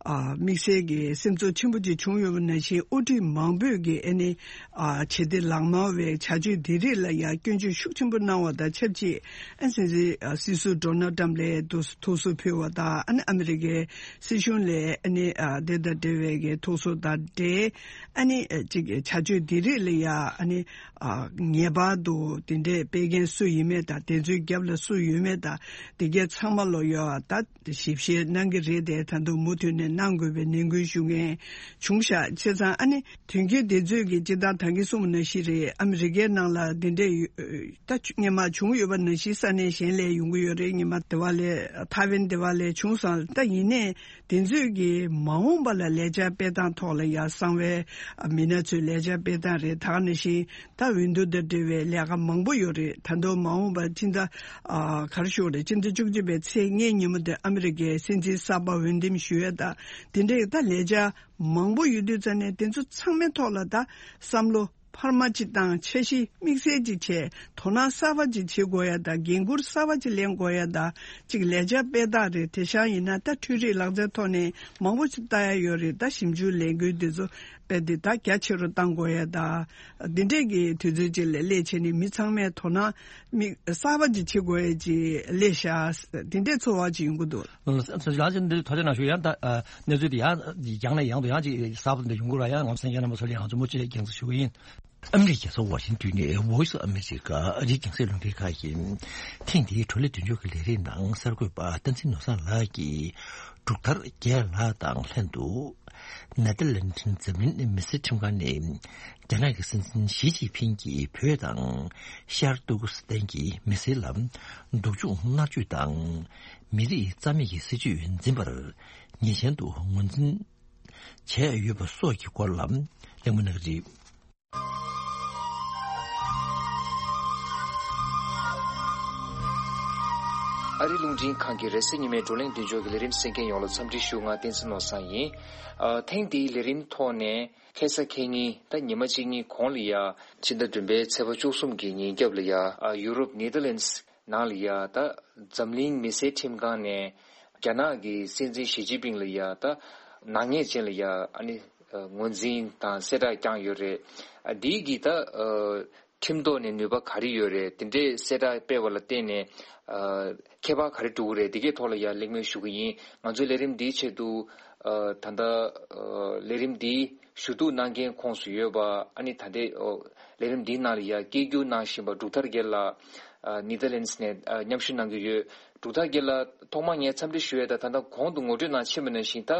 དམིགས་བསལ་གྱི་སེམས་ཚོར་ཆེན་པོ་ཅིག་བྱུང་ཡོད་པ་ནང་བཞིན་དབུ་ཁྲིད་མང་པོས་ཀྱི་ཨ་ནི། ཨ་བྱེད་གཏེ་ལག་དམར་བའི་བྱ་སྤྱོད་འདི་རིགས་ལ་ཡང་སྐྱོན་བརྗོད་ཤུགས་ཆེན་པོ་གནང་བ་དང་ཆབས་ཅིག་ཨ་སྲིད་འཛིན་ཨ་སྲིད་ཟུར་ཌོ་ནལ་ཏྲམ་ལ་ཐུགས་ཐུགས་གསོ་ཕུལ་བ་དང་ཨ་ནི་ཨ་མི་རི་ཀའི་སྲིད་གཞུང་ལ་ཨ་ནི་ཨ་དེ་དང་འབྲེལ་བའི་གི་ཐུགས་གསོ་དང་འབྲེལ་ཨ་ནི་ཨ་ཅིག་བྱ་སྤྱོད་འདི་རིགས་ལ་ཡང་ཨ་ནི་ཨ་ངེས་པར་དུ་དེ་འདྲའི་སྤེལ་མཁན་སུ་ཡིན་མེད་དང་དེ་ཚོའི་རྒྱབ་ལ་སུ་ཡོད་མེད་དང་དེ་གའི་ཚང་མ་ལོ་ཡོད་ཨ་ད། ཞིབ་བཤེར་གནང་གི་རེད་དེ་ད་དུང་མུ་མཐུད་ནས་གནང་དགོས་པའི་ནན་སྐུལ་ཞུ་མཁན་བྱུང་ཤག་བྱས་ཙང་ཨ་ནི་དོན་རྐྱེན་དེ་ཚོས་ཀྱི་སྤྱིར་བཏང་ད་གིན་གསུངས་པ་ནང་བཞིན་རེད། ཨ་མི་རི་ཀའི་ནང་ལ་འདི་འདྲས་ཡོད་ད་སྔོན་མ་བྱུང་ཡོད་པ་ནང་བཞིན་ས་གནས་གཞན་ལས་ཡོང་གི་ཡོད་རེད། སྔོན་མ་དེ་བ་ལས་ཐའེ་ཝན་དེ་བ་ལས་བྱུང་སོང་། ད་ཡིན་ནའི་དེ་ཚོས་ཀྱི་མ་འོངས་པ་ལ་ལས་འཆར་སྤེལ་སྟངས་ཐོག་ལ་ཡ་གསང་བའི་མི་སྣ་ཚོས་ལས་འཆར་སྤེལ་སྟངས་རེད། ད་ག་ནང་བཞིན། ད་འོས་བསྡུ་དང་འབྲེལ་བའི་ལས་ཀ་མང་པོ་ཡོད་རེད། ད་དུང་མ་འོངས་པར་ཕྱིན་ད་ཨ་ག་རེ་ཞུ་དགོས་རེད། ཕྱི་ཟླ་བཅུ་གཅིག་པའི་ཚེས་ལྔའི་ཉིན་མོ་དེ་ཨ་མི་རི་ཀའི་སྲིད་འཛིན་གསར་པ་འོས་འདེམས་ཞུ་ཡས་དང་དེ་འདྲའི་ད་ལས་འཆར་མང་པོ་ཡོད་དུས་ཙང་ནས་དེ་ཚོ་ཚང་མའི་ཐོག་ལ་ད་བསམ་བློ་འཕར་མ་ཅིག་བཏང་། འཆར་གཞི་དམིགས་བསལ་ཅིག་བྱས། དོ་སྣང་གསར་པ་ཅིག་བྱེད་དགོས་ཡ་དང་འགན་འཁུར་གསར་པ་ཅིག་ལེན་དགོས་ཡ་དང་ཅིག་ལས་འཆར་སྤེལ་སྟངས་རེད། དེང་སང་ཡིན་ན་ད་འཕྲུལ་རིག་ལག་རྩལ་ཐོག་ནས་མང་པོ་ཅིག་ལྟ་ཡ་ཡོད་རེད། ད་ཞིབ་འཇུག་ལས་འགུལ་དེ་ཚོ། དཔེ་དེ་ད་རྒྱ་ཆེ་རུ་གཏང་དགོས་ཡ་ད། འདི་འདྲས་ཀྱི་དུས་ཚོད་ཅིག་ལ་སླེབས་བྱས་ནས་མི་ཚང་མས་དོ་སྣང་མི་གསར་པ་ཅིག་བྱེད་དགོས་ཡ་ཅིག་སླེབས་ཤག་འདི་འདྲས་ཚོར་བ་ཅིག་ཡོང་གི་འདུག་ཨ་ལགས་ཅིག་འདི་ཐུགས་རྗེ་གནང་ཞུ། ཡང་ད་ཨ་གནས་ཚུལ་འདི་ཡང་ཡང་ནས་ཡང་དུ་ཡང་ཅིག་གསར་པ་འདི་ཡོང་གི་ར་ཡང་ངོ་མཚན་ཡང་ན་མ་སོ་ལ་ཡང་ཚོ་མུ་ཅིག་རྒྱང་ཚོ་ཞུ་གི་ཡིན། ཨ་མི་རི་ཀའི་རྒྱལ་ས་ཝ་ཤིང་ཏོན་ནས་Voice of America ཨ་རིའི་རྒྱང་སྲིང་རླུང་འཕྲིན་ཁང་ཡིན། ཐེངས་འདིའི་བགྲོ་གླེང་མདུན་ལྕོག་གི་ལས་རིམ་ནང་གསར་འགོད་པ་བསྟན་འཛིན་ནོར་བཟང་ལགས་ཀྱིས་འབྲུག་ཐར་རྒྱལ་ལགས་དང་ལྷན་དུ། ནེ་ཐར་ལན་འཛམ་གླིང་མི་སེར་ཁྲིམས་ཁང་ནས་རྒྱ་ནག་གི་སྲིད་འཛིན་ཞི་ཅིན་ཕིང་གིས་བོད་དང་ཤར་ཏུར་ཀི་སི་ཐན་གྱི་མི་སེར་ལ་སྡུག་སྦྱོང་མནར་གཅོད་དང་མི་རིགས་རྩ་མེད་ཀྱི་སྲིད་བྱུས་འཛིན་པར་ཉེས་ཅན་དུ་ངོས་འཛིན་བྱས་ཡོད་པ་སོགས་ཀྱི་སྐོར་ལ་གླེང་མོལ་གནང་གི་རེད། ཨ་རིའི་རླུང་འཕྲིན་ཁང་གི་རེས་གཟའ་ཉི་མའི་བགྲོ་གླེང་མདུན་ལྕོག་གི་ལས་རིམ་གསན་མཁན་ཡོངས་ལ་འཚམས་འདྲི་ཞུ། ང་བསྟན་འཛིན་ནོར་བཟང་ཡིན། ཨ། ཐེངས་འདིའི་ལས་རིམ་ཐོག་ནས་ཁ་སང་ཁ་ཉིན་ད་ཉི་མ་གཅིག་གཉིས་གོང་ལ་ཡ། ཕྱི་ཟླ་བདུན་པའི་ཚེས་པ་བཅུ་གསུམ་གྱི་ཉིན་རྒྱབ་ལ་ཡ། ཨ། ཡུ་རོབ་ནེ་ཐར་ལན་སི་ནང་ལ་ཡ། ད་འཛམ་གླིང་མི་སེར་ཁྲིམས་ཁང་ནས་རྒྱ་ནག་གི་སྲིད་འཛིན་ཞི་ཅིན་ཕིང་ལ་ཡ། ད་ནག་ཉེས་ཅན་ལ་ཡ། ཨ་ནི་ངོས་འཛིན་དང་གསལ་བསྒྲགས་བསྐྱངས་ཡོད་རེད། ཨ། འདིའི་གི་ད་ཨ་ཁྲིམས་ཐོག་ནས་ནུས་པ་ག་རེ་ཡོད་རེད། དེ་འདྲའི་གསལ་བསྒྲགས་སྤེལ་བ་ལ་བརྟེན་ནས་ཨ་ཁྱད་པར་ག་རེ་འགྲོ་གི་རེད། འདི་གའི་ཐོག་ལ་ཡ་གླེང་མོལ་ཞུ་གི་ཡིན། ང་ཚོའི་ལས་རིམ་འདིའི་ཆེད་དུ་ཨ་ད་ལྟ་ཨ་ལས་རིམ་འདིའི་ཞུ་གཏུག་གནང་མཁན་ཁོངས་སུ་ཡོད་པ། ཨ་ནི་ད་ལྟའི་ཨོ་ལས་རིམ་འདིའི་ནང་ལ་ཡ་སྐད་སྒྱུར་གནང་བཞིན་པ་འབྲུག་ཐར་རྒྱལ་ལགས། ཨ་ནེ་ཐར་ལན་སི་ནས་ཨ་མཉམ་ཞུགས་གནང་གི་ཡོད། འབྲུག་ཐར་རྒྱལ་ལགས། ཐོག་མར་ངས་འཚམས་འདྲི་ཞུ་ཡས་དང་། ད་ལྟ་གོང་དུ་ངོ་སྤྲོད་གནང་ཕྱིན་པ་ནང་བཞིན། ད་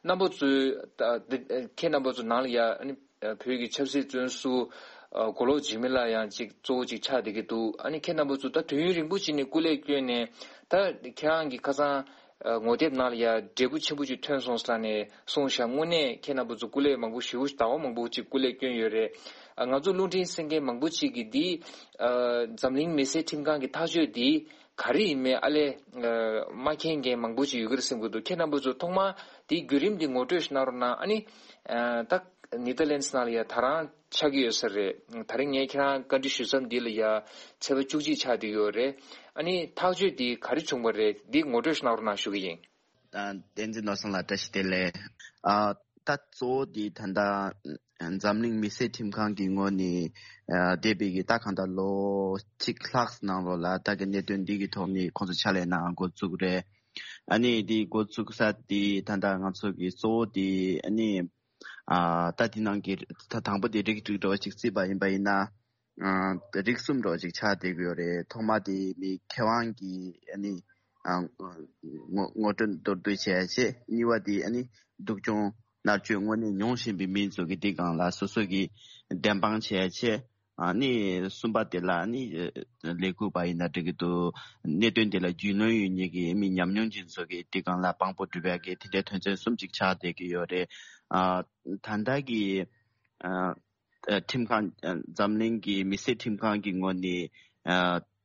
རྣམ་པ་ཚོས་ད་འདི་ཁྱེད་རྣམ་པ་ཚོ་ནང་ལ་ཡ། ཨ་ནི་ཨ་བོད་ཀྱི་ཆབ་སྲིད་བཙོན་ཟུར་ཨ་མགོ་ལོག་འཇིགས་མེད་ལགས་ཡང་ཅིག་གཙོ་བོ་ཅིག་ཆགས་བསྡད་ཀྱི་འདུག། ཨ་ནི་ཁྱེད་རྣམ་པ་ཚོ་ད་དུས་ཡུན་རིང་པོ་ཅིག་ནས་སྐུ་ལས་བསྐྱོན་ནས། ད་ཁྱེད་རང་གི་ཁ་སང་ཨ་ངོ་དེབ་ནང་ལ་ཡ་འབྲས་བུ་ཆེན་པོ་ཅིག་ཐོན་སོང་ཟེར་ནས་གསུངས་ཤག། དངོས་གནས་ཁྱེད་རྣམ་པ་ཚོ་སྐུ་ལས་མང་པོ་ཞེ་པོ་ཟླ་བ་མང་པོ་ཅིག་སྐུ་ལས་བསྐྱོན་ཡོད་རེད། ཨ་ང་ཚོ་རླུང་འཕྲིན་གསན་མཁན་མང་པོ་ཅིག་གིས་འདི་ཨ་འཛམ་གླིང་མི་སེར་ཁྲིམས་ཁང་གི་ཐག་གཅོད་འདི་ག་རེ་ཡིན་མིན་ཨ་ལས་ཨ་མ་མཁྱེན་མཁན་མང་པོ་ཅིག་ཡོད་ཀྱི་རེད་བསམ་གྱི་འདུག། ཁྱེད་རྣམ་པ་ཚོ་ཐོག་མར་འདིའི་བརྒྱུད་རིམ་འདི་ངོ་སྤྲོད་ཞིག་གནང་རོགས་གནང་། ཨ་ནི་ཨ་ད་ནེ་ཐར་ལན་སི་ནང་ལ་ཡ་ད་རང་ཆགས་ཀྱི་ཡོད་ས་རེད། ད་རིང་ངས་ཁྱེད་རང་བཀའ་འདྲི་ཞུ་མཚམས་འདི་ལ་ཡ་ཚེས་པ་བཅུ་གཅིག་ཆགས་བསྡད་ཡོད་རེད། ཨ་ནི་ཐག་གཅོད་འདི་ག་རེ་བྱུང་བ་རེད། འདི་ངོ་སྤྲོད་ཞིག་གནང་རོགས་གནང་ཞུ་གི་ཡིན། ད་བསྟན་འཛིན་ནོར་བཟང་ལགས་བཀྲ་ཤིས་བདེ་ལེགས། ཨ་ད་གཙོ་བོ་འདི་ད་ལྟ་འཛམ་གླིང་མི་སེར་ཁྲིམས་ཁང་གི་ངོས་ནས་ཨ་འདས་པའི་གི་ད་གང་ལྟར་ལོ་གཅིག་ལྷག་ནང་ལོགས་ལ་ད་གི་གནད་དོན་འདི་གི་ཐོག་ནས་ཁོང་ཚོ་ཕྱག་ལས་གནང་འགོ་བཙུགས་རེད། ཨ་ནི་འདི་འགོ་བཙུགས་ས་འདི་ད་ལྟ་ང་ཚོ་གི་གཙོ་བོ་འདི་ཨ་ནི་ཨ་ད་འདི་ནང་གི་ད་དང་པོ་འདི་རིགས་དྲུག་འདྲ་བ་ཅིག་བརྩིས་པ་ཡིན་པ་ཡིན་ན། ཨ་རིགས་གསུམ་འདྲ་བ་ཅིག་ཆགས་བསྡད་ཀྱི་ཡོད་རེད། ཐོག་མ་དེ་མི་ཁེ་དབང་གི་ཨ་ནི་ཨ་ངོ་ངོ་སྤྲོད་མདོར་བསྡུས་བྱས་བྱས། གཉིས་པ་དེ་ཨ་ནི་སྡུག་སྦྱོང་མནར་གཅོད་དངོས་གནས་མྱོང་བཞིན་པའི་མི་ཚོ་གི་དེ་སྒང་ལ་སོ་སོ་གི་བདེན་དཔང་བྱས་བྱས། ཨ་ནི་གསུམ་པ་དེ་ལ་ཨ་ནི་ལས་འགུལ་པ་ཡིན་ན་འགྲིག་གི་འདུག། གནད་དོན་དེ་ལ་རྒྱུས་ལོན་ཡོད་མཁན་གྱི་མི་ཉམས་མྱོང་ཅན་ཚོ་གི་དེ་སྒང་ལ་དཔང་པོ་སྒྲུབ་ཡག་གི་དེ་འདྲའི་དོན་ཚན་གསུམ་ཅིག་ཆགས་བསྡད་ཀྱི་ཡོད་རེད། ཨ་ད་ལྟ་གི་ཨ། ཨ་ཁྲིམས་ཁང་། ཨ་འཛམ་གླིང་གི་མི་སེར་ཁྲིམས་ཁང་གི་ངོས་ནས་ཨ་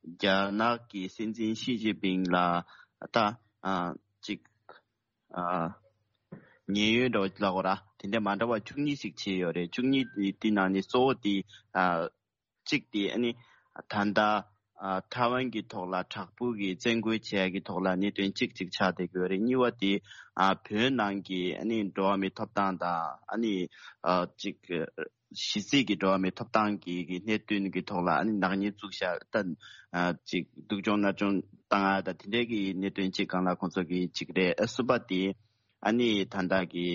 རྒྱ་ནག་གི་སྲིད་འཛིན་ཞི་ཅིན་ཕིང་ལ་ད་ཨ་ཅིག་ཨ་ཉེན་གཡོལ་འདྲ་བོ་ལབ་དགོས་ར། དེ་འདྲ་མ་འདྲ་བ་བཅུ་གཉིས་ཤིག་བྱས་ཡོད་རེད། བཅུ་གཉིས་དེ་དེ་ནང་ནས་གཙོ་བོ་དེ་ཨ་གཅིག་དེ་ཨ་ནི་ད་ལྟ་ཨ་ཐའེ་ཝན་གྱི་ཐོག་ལ་དྲག་པོ་གི་བཙན་རྒོལ་བྱས་ཀྱི་ཐོག་ལ་གནད་དོན་གཅིག་གཅིག་ཆགས་བསྡད་ཀྱི་ཡོད་རེད། གཉིས་པ་དེ་ཨ་བོད་ནང་གི་ཨ་ནི་འགྲོ་བ་མིའི་ཐོབ་ཐང་དང་། ཨ་ནི་ཨ་གཅིག་གཞི་རྩའི་གི་འགྲོ་བ་མིའི་ཐོབ་ཐང་གི་གི་གནད་དོན་གི་ཐོག་ལ་ཨ་ནི་ནག་ཉེས་བཙུགས་བཞག་ད་ཨ་ཅིག་སྡུག་སྦྱོང་མནར་གཅོད་བཏང་ཡ་ད་དེ་འདྲའི་གི་གནད་དོན་གཅིག་སྒང་ལ་ཁོང་ཚོ་གི་གཅིག་རེད། ཨ་གསུམ་པ་དེ་ཨ་ནི་ད་ལྟ་གི་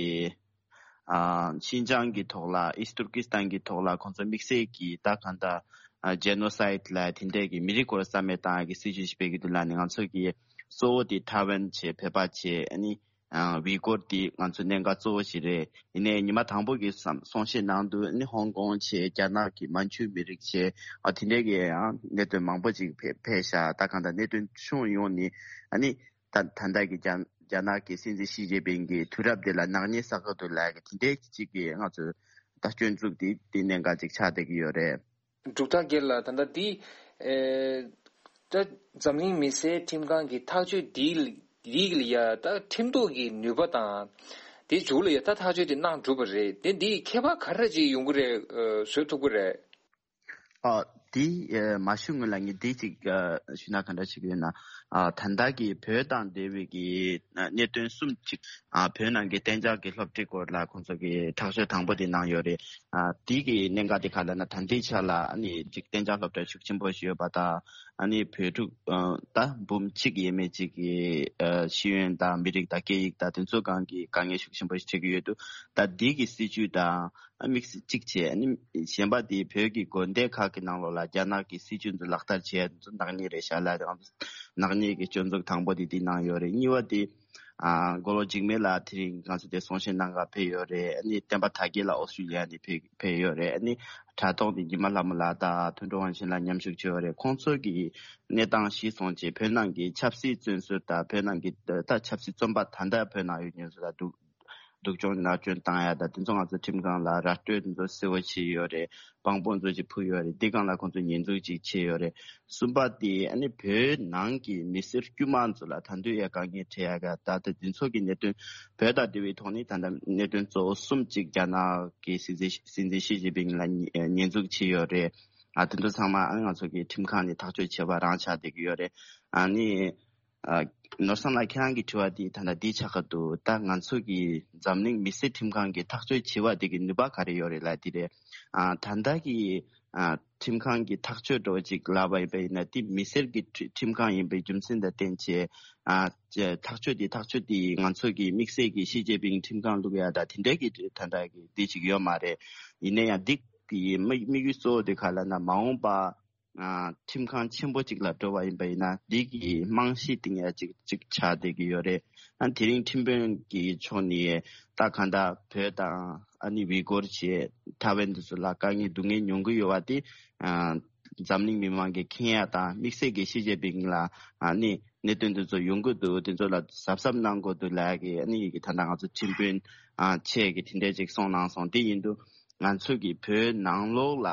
ཨ་ཤིན་ཅང་གི་ཐོག་ལ་ཨིསྟ་ཏུར་ཀི་སི་ཐན་གི་ཐོག་ལ་ཁོང་ཚོ་དམིགས་བསལ་གི་ད་གང་ལྟར་ཨ་ཇེ་ནོ་སའིད་ལ་དེ་འདྲའི་གི་མི་རིགས་སྐོར་རྩ་མེད་བཏང་ཡ་གི་སྲིད་ཇུས་ཤིག་སྤེལ་གི་འདུག་ལབ་ནས། ང་ཚོ་གི་གཙོ་བོ་དེ་ཐའེ་ཝན་བྱས། བོད་པ་བྱས། ཨ་ནི་ཨ་ཝི་གོར་དེ་ང་ཚོའི་གནད་འགག་གཙོ་བོ་ཞིག་རེད། ཡིན་ནའི་ཉི་མ་དང་པོ་གི་བསམ་གསུང་བཤད་ནང་དུ་ནི་ཧོང་ཀོང་བྱས། རྒྱ་ནག་གི་མན་ཇུ་མི་རིགས་བྱས། ཨ་དེ་འདྲའི་གི་ཡང་གནད་དོན་མང་པོ་ཅིག་ཕེ་ཕེབས་ཤག། ད་གང་ལྟར་གནད་དོན་ཕྱོགས་ཡོངས་ནས་ཨ་ནི་ད་ད་ལྟ་གི་རྒྱ་རྒྱ་ནག་གི་སྲིད་འཛིན་ཞི་ཅིན་ཕིང་གི་དུས་རབས་དེ་ལ་ནག་ཉེས་བསགས་ཀྱི་འདུག་ལབ་གི་དེ་འདྲའི་ཅིག་གི་ང་ཚོ་ད་སྐྱོན་འཛུགས་དེ་དེ་གནད་འགག་ཅིག་ཆགས་བསྡད་ཀྱི་ཡོད་རེད། འབྲུག་ཐར་རྒྱལ་ལགས། ད་ལྟ་འདི་ཨེ་ད་འཛམ་གླིང་མི་སེར་ཁྲིམས་ཁང་གི་ཐག་གཅོད་འདི་འདི་ལ་ཡ་ད་ཁྲིམས་ཐོག་གི་ནུས་པ་དང་། དེ་མཇུག་ལ་ཡ་ད་ཐག་གཅོད་དེ་གནང་གྲུབ་པ་རེད། དེ་འདི་ཁྱད་པར་ག་རེ་ཅིག་ཡོང་གི་རེད། ཨ་བཟོ་ཐུབ་ཀྱི་རེད། ཨ་འདི་ཨེ་མ་ཞུ་སྔོན་ལ་ངས་འདི་ཅིག་ཨ་ཞུ་ན་ག་འདྲ་ཞིག་ཡོད་ན། ཨ་ད་ལྟ་གི་བོད་དང་འབྲེལ་བའི་གི་གནད་དོན་གསུམ་ཅིག་ཨ་བོད་ནང་གི་གཏན་འཇགས་ཀྱི་སློབ་ཁྲིད་སྐོར་ལ་ཁོང་ཚོ་གི་ཐག་གཅོད་དང་པོ་དེ་གནང་ཡོད་རེད། ཨ་དེ་གི་གནད་འགག་དེ་ག་ལ་ན། ད་ལྟའི་ཆ་ལ་ཨ་ནི་ཅིག་གཏན་འཇགས་སློབ་གྲྭ་ཤུགས་ཆེན་པོ་ཞིག་ཡོད་པ་དང་། ཨ་ནི་བོད་ཕྲུག་ད་འབུམ་གཅིག་ཡས་མས་ཅིག་གི་ཤེས་ཡོན་དང་མི་རིགས་དང་སྐད་ཡིག་དང་དེ་ཚོ་སྒང་གི་དཀའ་ངལ་ཤུགས་ཆེན་པོ་ཞིག་འཕྲད་ཀྱི་ཡོད་འདུག་ད་འདི་གི་སྲིད་ཇུས་དང་དམིགས་བསལ་གཅིག་བྱས། ཨ་ནི་གཞན་པ་དེ་བོད་ཀྱི་དགོན་སྡེ་ཁག་གི་ནང་ལོགས་ལ་རྒྱ་ནག་གི་སྲིད་ཇུས་འདི་ལག་བསྟར་བྱས་ནག་ཉེས་རེད་ཤག་ལ། ནག་ཉེས་ཀྱི་སྐྱོན་འཛུགས་དང་པོ་དེ་དེ་གནང་ཡོད་རེད། གཉིས་པ་དེ་ཨ་མགོ་ལོག་འཇིགས་མེད་ལགས་དེ་རིང་ང་ཚོ་དེ་གསུང་བཤད་གནང་ག་ཕེབས་ཡོད་རེད། ཨ་ནི་བསྟན་པ་དར་རྒྱས་ལགས་ཨོ་སི་ཀྲི་ལི་ཡ་ནས་ཕེབས་ཕེབས་ཡོད་རེད། ཨ་ནི་དྲ་ཐོག་ནས་ཉི་མ་ལྷ་མོ་ལགས་དང་དོན་གྲུབ་དབང་ཆེན་ལགས་མཉམ་ཞུགས་བྱས་ཡོད་རེད། ཁོང་ཚོ་གི་གནས་སྟངས་གཞིར་བཟུང་བྱས་བོད་ནང་གི་ཆབ་སྲིད་བཙོན་ཟུར་དང་བོད་ནང་གི་ད་ཆབ་སྲིད་བཙོན་པ་ད་ལྟ་བོད་ནང་ཡོད་མཁན་ཚོ་ལ་སྡུག་སྡུག་སྦྱོང་མནར་གཅོད་བཏང་ཡ་དང་དེ་ཚོ་ང་ཚོ་ཁྲིམས་ཁང་ལ་ར་སྤྲོད་དེ་ཚོ་གསལ་བོ་བྱས་ཡོད་རེད། དཔང་པོ་ཚོ་ཅིག་ཕུལ་ཡོད་རེད། འདི་སྒང་ལ་ཁོང་ཚོ་ཉེས་འཛུགས་ཅིག་བྱས་ཡོད་རེད། གསུམ་པ་དེ་ཨ་ནི་བོད་ནང་གི་མི་སེར་དཀྱུས་མ་ཚོ་ལ་ད་དུང་ཡ་དཀའ་ངལ་འཕྲད་ཡ་ག་ད་ལྟ་འདི་ཚོ་གི་གནད་དོན་བོད་དང་འབྲེལ་བའི་ཐོག་ནས་ད་ལྟ་གནད་དོན་གཙོ་བོ་གསུམ་ཅིག་རྒྱ་ནག་གི་སྲིད་འཛིན་སྲིད་འཛིན་ཞི་ཅིན་ཕིང་ལ་ཉེས་ཉེས་འཛུགས་བྱས་ཡོད་རེད། ཨ་དེ་ཚོ་ཚང་མ་ཨ་ང་ཚོ་གི་ཁྲིམས་ཁང་ནས་ཐག་གཅོད་བྱས་པ་རང་ཆགས་བསྡད་ཀྱི་ཡོད་རེད། ཨ་ནི། ཨ་ནོར་བཟང་ལགས་ཁྱེད་རང་གི་དྲི་བ་འདི་ད་ལྟ་འདི་ཆགས་ཀྱི་འདུག་ད་ང་ཚོ་གི་འཛམ་གླིང་མི་སེར་ཁྲིམས་ཁང་གི་ཐག་གཅོད་བྱས་པ་འདི་གི་ནུས་པ་ག་རེ་ཡོད་རེད་ལབ་དེ་རེད། ཨ་ད་ལྟ་གི་ཨ་ཁྲིམས་ཁང་གི་ཐག་གཅོད་འདྲ་བོ་ཅིག་ལབ་པ་ཡིན་པ་ཡིན་ན། དེ་མི་སེར་གི་ཁྲི་ཁྲིམས་ཁང་ཡིན་པའི་རྒྱུ་མཚན་དང་བསྟན་བྱས། ཨ་ཐག་གཅོད་དེ་ཐག་གཅོད་དེ་ང་ཚོ་གི་དམིགས་བསལ་གྱི་ཞི་ཅིན་ཕིང་ཁྲིམས་ཁང་བླུག་ཡ་ད་དེ་འདྲའི་གི་ད་ལྟ་གི་འདི་ཅིག་ཡོད་མ་རེད། ཡིན་ན་ཡང་འདི་གི་དམིགས་དམིགས་ཡུལ་གཙོ་བོ་དེ་ག་ལབ་ན། མ་འོངས་པ། ཨ་ཁྲིམས་ཁང་ཆེན་པོ་གཅིག་ལ་འགྲོ་བ་ཡིན་པ་ཡིན་ན། འདི་གི་རྨང་གཞི་བཏིང་ཡ་གཅིག་གཅིག་ཆགས་བསྡད་ཀྱི་ཡོད་རེད། ཨ་དེ་རིང་ཁྲིམས་དཔོན་གྱི་ཕྱོགས་ནས་ད་གང་ལྟར་བོད་དང་ཨ་ནི་ཝི་གོར་བྱས་ཐའེ་ཝན་དེ་ཚོ་ལ་དཀའ་ངལ་སྡུག་བསྔལ་མྱོང་གི་ཡོད་པ་དེ། ཨ་འཛམ་གླིང་མི་མང་གིས་མཁྱེན་ཡ་དང་། དམིགས་བསལ་གྱི་ཞི་ཅིན་ཕིང་ལ་ཨ་ནི་གནད་དོན་དེ་ཚོ་ཡོང་གི་འདུག་དེ་ཚོ་ལ་གཟབ་གཟབ་གནང་དགོས་འདུག་ལབ་ཡ་གི་ཨ་ནི་ཡི་གེ་ད་ལྟ་ང་ཚོ་ཁྲིམས་དཔོན་ཨ་ཆེ་གི་དེ་འདྲས་ཅིག་གསུངས་གནང་སོང་། དེ་ཡིན་དུས་ང་ཚོ་གི་བོད་ནང་ལོགས་ལ་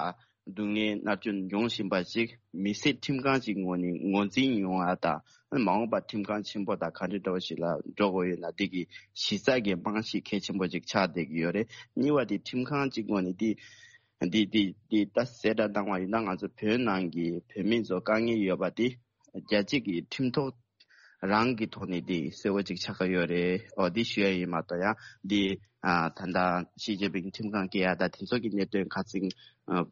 སྡུག་བསྔལ་མནར་གཅོད་མྱོང་བཞིན་པ་ཅིག་མི་སེར་ཁྲིམས་ཁང་ཅིག་ངོས་ནས་ངོས་འཛིན་ཡོང་བ་དང་། མ་འོངས་པར་ཁྲིམས་ཁང་ཆེན་པོ་དང་ག་འདྲ་འདྲ་བོ་ཞིག་ལ་འགྲོ་དགོས་ཡོད་ན། འདི་གི་གཞི་རྩ་གི་རྨང་གཞི་གལ་ཆེན་པོ་ཅིག་ཆགས་བསྡད་ཀྱི་ཡོད་རེད། གཉིས་པ་དེ་ཁྲིམས་ཁང་ཅིག་ངོས་ནས་འདི་འདི་འདི་འདི་ད་གསལ་བསྒྲགས་གནང་བ་ཡིན་ན། ང་ཚོ་བོད་ནང་གི་བོད་མི་ཚོ་དཀའ་ངལ་ཡོད་པ་དེ་རྒྱལ་སྤྱི་གི་ཁྲིམས་ཐོག་རང་གི་ཐོག་ནས་དེ་གསལ་བོ་ཅིག་ཆགས་ཀྱི་ཡོད་རེད། འོ་དེ་ཞུ་ཡ་ཡིན་མ་གཏོགས། ཡང་དེ་ཨ་ད་ལྟ་ཞི་ཅིན་ཕིང་ཁྲིམས་ཁང་སྐྱེལ་ཡ་ད་དེ་ཚོ་གི་གནད་དོན་ཁ་ཚིག་ཨ་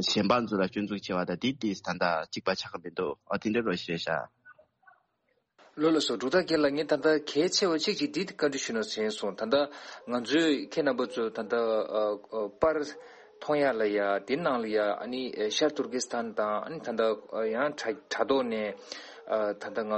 གཞན་པ་ཚོ་ལ་སྐྱོན་འཛུགས་བྱས་པ་ད་དེ་དེ་ད་ལྟ་གཅིག་པ་ཆགས་ཀྱི་མི་འདུག་འོ་དེ་འདྲ་རོ་ཞེས་བྱ། ལགས་ལགས་སོ། འབྲུག་རྟ་རྒན་ལགས། ངས་ད་ལྟ་གལ་ཆེ་བ་གཅིག་ཅིག་འདི་བཀའ་འདྲི་ཞུ་ན་ཟེར་སོང་། ད་ལྟ་ང་ཚོས་ཁྱེད་རྣམ་པ་ཚོ་ད་ལྟ་ཨ་ཨ་པར་མཐོང་ཡ་ལ་ཡ། དེ་ནང་ལ་ཡ་ཨ་ནི་ཨ་ཤར་ཏུར་ཀི་སི་ཐན་དང་། ཨ་ནི་ད་ལྟ་ཨ་ཡང་དྲ་དྲ་ཐོག་ནས་ཨ་ད་ལྟ་ང་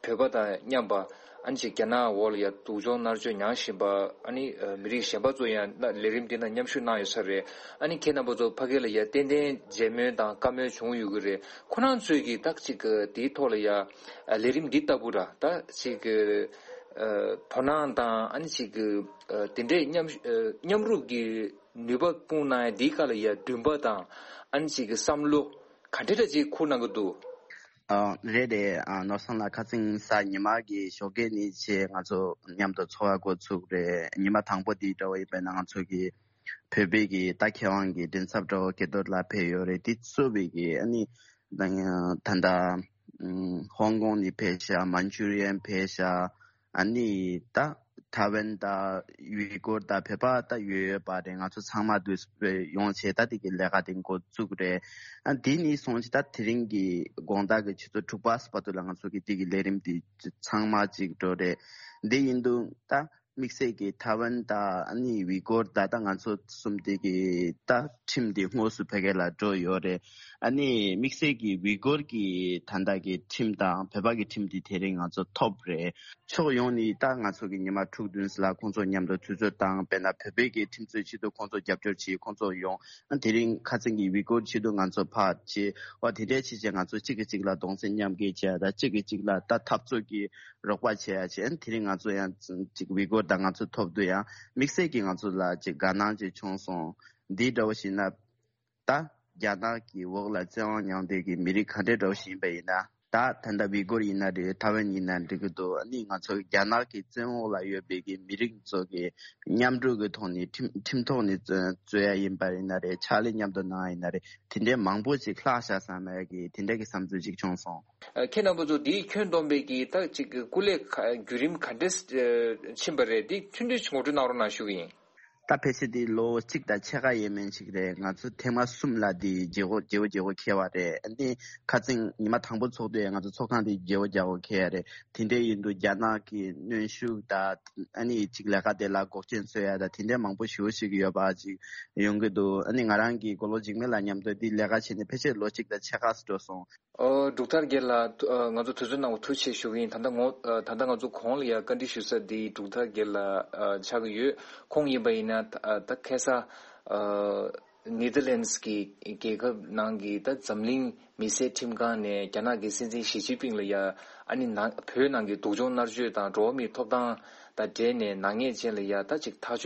བོད་པ་དང་མཉམ་པ། ཨ་ནི་ཅིག་རྒྱ་ནག་འོག་ལ་ཡ་སྡུག་སྦྱོང་མནར་གཅོད་མྱངས་བཞིན་པ། ཨ་ནི་ཨ་མི་རིགས་གཞན་པ་ཚོ་ཡང་ལས་རིམ་འདི་ནང་མཉམ་ཞུགས་གནང་ཡོད་ས་རེད། ཨ་ནི་ཁྱེད་རྣམ་པ་ཚོ་ཕ་གི་ལ་ཡ་ཏན་ཏན་མཇལ་མོལ་དང་བཀའ་མོལ་བྱུང་ཡོད་ཀྱི་རེད། ཁོ་རང་ཚོས་ཀྱིས་ད་ཅིག་གི་དེའི་ཐོག་ལ་ཡ་ཨ་ལས་རིམ་འདི་ལྟ་བུ་ར་ད་ཅིག་གི་ཨ་དོ་སྣང་དང་། ཨ་ནི་ཅིག་གི་ཨ་དེ་འདྲས་མཉམ་ཨ་མཉམ་རུབ་ཀྱི་ནུས་པ་སྤུངས་གནང་ཡ་འདིའི་སྐབས་ལ་ཡ་འདུན་པ་དང་། ཨ་ནི་ཅིག་གི་བསམ་བློ་ག་འདྲས་འདྲ་ཅིག་འཁུར་གནང་གི་འདུག་ཨ་རེད་རེད། ཨ་ནོར་བཟང་ལགས། ཁ་སང་གཟའ་ཉི་མ་གི་ཞོགས་ཀས་ནས་བྱས་ང་ཚོ་མཉམ་དུ་འཚོ་བ་འགོ་ཚུགས་རེད། ཉི་མ་དང་པོ་འདི་འདྲ་བོ་ཡིན་པས་ན། ང་ཚོ་གི་བོད་པའི་གི་ད་མཁས་དབང་གི་མགྲིན་ཚབ་འདྲ་བོ་སྐལ་རྡོར་ལགས་ཕེབས་ཡོད་རེད། དེ་གཙོས་པའི་གི་ཨ་ནི་ད་ད་ལྟ་ཧོང་ཀོང་ནས་ཕེབས་ཤག་མན་ཅུ་རི་ཡན་ཕེབས་ཤག་ཨ་ནི་ད་ཐའེ་ཝན་དང་ཡུ་གུར་དང་བོད་པ་ད་ཡོད་ཡོད་པ་རེད། ང་ཚོ་ཚང་མ་འདུས་པའི་ཡོང་བྱས་ད་དེ་གི་ལས་ཀ་དེ་འགོ་བཙུགས་རེད། ཨ་དེ་ནས་བཟུང་བྱས་ད་དེ་རིང་གི་དགོང་དག་གི་ཆུ་ཚོད་དྲུག་པ་བར་དུ་ལ་ང་ཚོ་གི་དེ་གི་ལས་རིམ་དེ་ཚང་མ་གཅིག་འགྲོ་རེད། འདི་ཡིན་དུས་ད་དམིགས་བསལ་གྱི་ཐའེ་ཝན་དང་ཨ་ནི་ཝི་གོར་ད་ད་ང་ཚོ་གསུམ་དེ་གི་ད་ཁྲིམས་དེ་དངོས་སུ་བོད་སྐད་ལ་འགྲོ་ཡོད་རེད། ཨ་ནི་དམིགས་བསལ་གྱི་ཝི་གོར་གྱི་ད་ལྟ་གི་ཁྲིམས་དང་བོད་པ་གི་ཁྲིམས་དེ་དེ་རིང་ང་ཚོ་ཐོབ་རེད། ཕྱོགས་ཡོངས་ནས་ད་ང་ཚོ་གི་ཉི་མ་དྲུག་བདུན་ཙམ་ལ་ཁོང་ཚོ་མཉམ་དུ་དུས་ཚོད་བཏང་། དཔེར་ན་བོད་པའི་གི་ཁྲིམས་རྩོད་ཆེད་དུ་ཁོང་ཚོ་རྒྱབ་སྐྱོར་བྱེད། ཁོང་ཚོ་ཡོང་། ཨ་དེ་རིང་ཁ་སང་གི་ཝི་གོར་ཆེད་དུ་ང་ཚོ་ཕར་བྱེད། འོ་དེ་འདྲའི་བྱས་བྱས་ང་ཚོ་གཅིག་གིས་གཅིག་ལ་གདུང་སེམས་མཉམ་སྐྱེད་བྱས། ད་གཅིག་གིས་གཅིག་ལ་ད་འཐབ་རྩོད་ཀྱི་རོགས་པ་བྱེད་ཡ་བྱས། ཨ་དེ་རིང་ང་ཚོ་ཡང་གཅིག་ཝི་གོར་དང་ང་ཚོ་ཐོབ་དུས་ཡང་དམིགས་བསལ་གྱིས་ང་ཚོ་ལ་གཅིག་དགའ་སྣང་ཅིག་བྱུང་སོང་། འདི་འདྲ་བོ་ཞིག་ན། ད་རྒྱ་ནག་གི་འོག་ལ་བཙན་དབང་མྱངས་བསྡད་ཀྱི་མི་རིགས་ག་འདྲས་འདྲ་བོ་ཞིག་ཡིན་པ་ཡིན་ན། ད་ད་ལྟ་ཝི་གུར་ཡིན་ན་རེད། ཐའེ་ཝན་ཡིན་ན་འགྲིག་གི་འདུག་ཨ་ནི་ང་ཚོ་རྒྱ་ནག་གི་བཙན་འོག་ལ་ཡོད་པའི་གི་མི་རིགས་ཚོ་གི་མཉམ་འགྲོགས་ཀྱི་ཐོག་ནས་ཁྲིམས་ཁྲིམས་ཐོག་ནས་རྩོད་རྩོད་ཡ་ཡིན་པ་ཡིན་ན་རེད། ཕྱག་ལས་མཉམ་དུ་གནང་ཡ་ཡིན་ན་རེད། དེ་འདྲའི་མང་པོ་ཞིག་ལྷག་བཞག་བསམ་ཡ་གི་དེ་འདྲ་གི་བསམ་ཚུལ་ཞིག་བྱུང་སོང་། ཨ། ཁྱེད་རྣམ་པ་ཚོ་འདིའི་ཁྱོན་བསྡོམས་པའི་གི་ད་ཅིག་སྐུ་ལས་ཁ་བརྒྱུད་རིམ་ག་འདྲས་ཕྱིན་པ་རེད། འདི་ཐུང་ཐུང་ཞིག་ངོ་སྤྲོད་གནང་རོགས་གནང་ཞུ་གི་ཡིན། ད་ཕལ་ཆེར་འདི་ལོ་གཅིག་དང་ཕྱེད་ཀ་ཡས་མས་ཤིག་རེད། ང་ཚོ་ཐེངས་མ་གསུམ་ལ་འདི་བརྗེ་བོ་བརྗེ་བོ་བརྗེ་བོ་འཁེལ་བ་རེད། འདི་ཁ་སང་ཉི་མ་དང་པོ་ཚོགས་དུས་ང་ཚོ་ཚོགས་ཁང་འདི་བརྗེ་བོ་བརྗེ་བོ་འཁེལ་ཡ་རེད། དེ་འདྲ་ཡིན་དུས་རྒྱ་ནག་གི་གནོན་ཤུགས་དང་ཨ་ནི་ཅིག་ལས་ཀ་དེ་ལ་འགོག་རྐྱེན་བཟོ་ཡ་དང་དེ་འདྲ་མང་པོ་ཞེ་པོ་ཞིག་ཡོད་པ་ཅིག་ཡོང་གི་འདུག་ཨ་ནི་ང་རང་གི་མགོ་ལོག་འཇིགས་མེད་ལགས་མཉམ་དུ་འདི་ལས་ཀ་བྱས་ནས་ཕལ་ཆེར་ལོ་གཅིག་དང་ཕྱེད་ཀ་འགྲོ་སོང་། ཨོ། འབྲུག་ཐར་རྒྱལ་ལགས། ཐུ- ཨ། ང་ཚོ་དུས་ཚོད་གནང་བ་ཐུགས་རྗེ་ཆེ་ཞུ་གི་ཡིན། ད་ལྟ་ངོ- ཨ། ད་ལྟ་ང་ཚོ་གོང་ལ་ཡ་བཀའ་འདྲི་ཞུ་ས་འདི་འབྲུག་ཐར་རྒྱལ་ལགས། ཨ། ཆགས་ཀྱི་ཡོད། ཁོང་ཡིན་པ་ཡིན་ན་ད- ཨ། ད་ཁ་སང་། ཨ། ནེ་དར་ལེན་སི་གི་རྒྱལ་ཁབ་ནང་གི་ད་འཛམ་གླིང་མི་སེར་ཁྲིམས་ཁང་ནས་རྒྱ་ནག་གི་སྲིད་འཛིན་ཞི་ཅིན་ཕིང་ལ་ཡ་ཨ་ནི་ནང་བོད་ནང་གི་སྡུག་སྦྱོང་མནར་གཅོད་དང་འགྲོ་བ་མིའི་ཐོབ་ཐང་དང་འབྲེལ་ནས་ནག་ཉེས་ཅན་ལ་ཡ་ད་ཅིག་ཐག་གཅོད་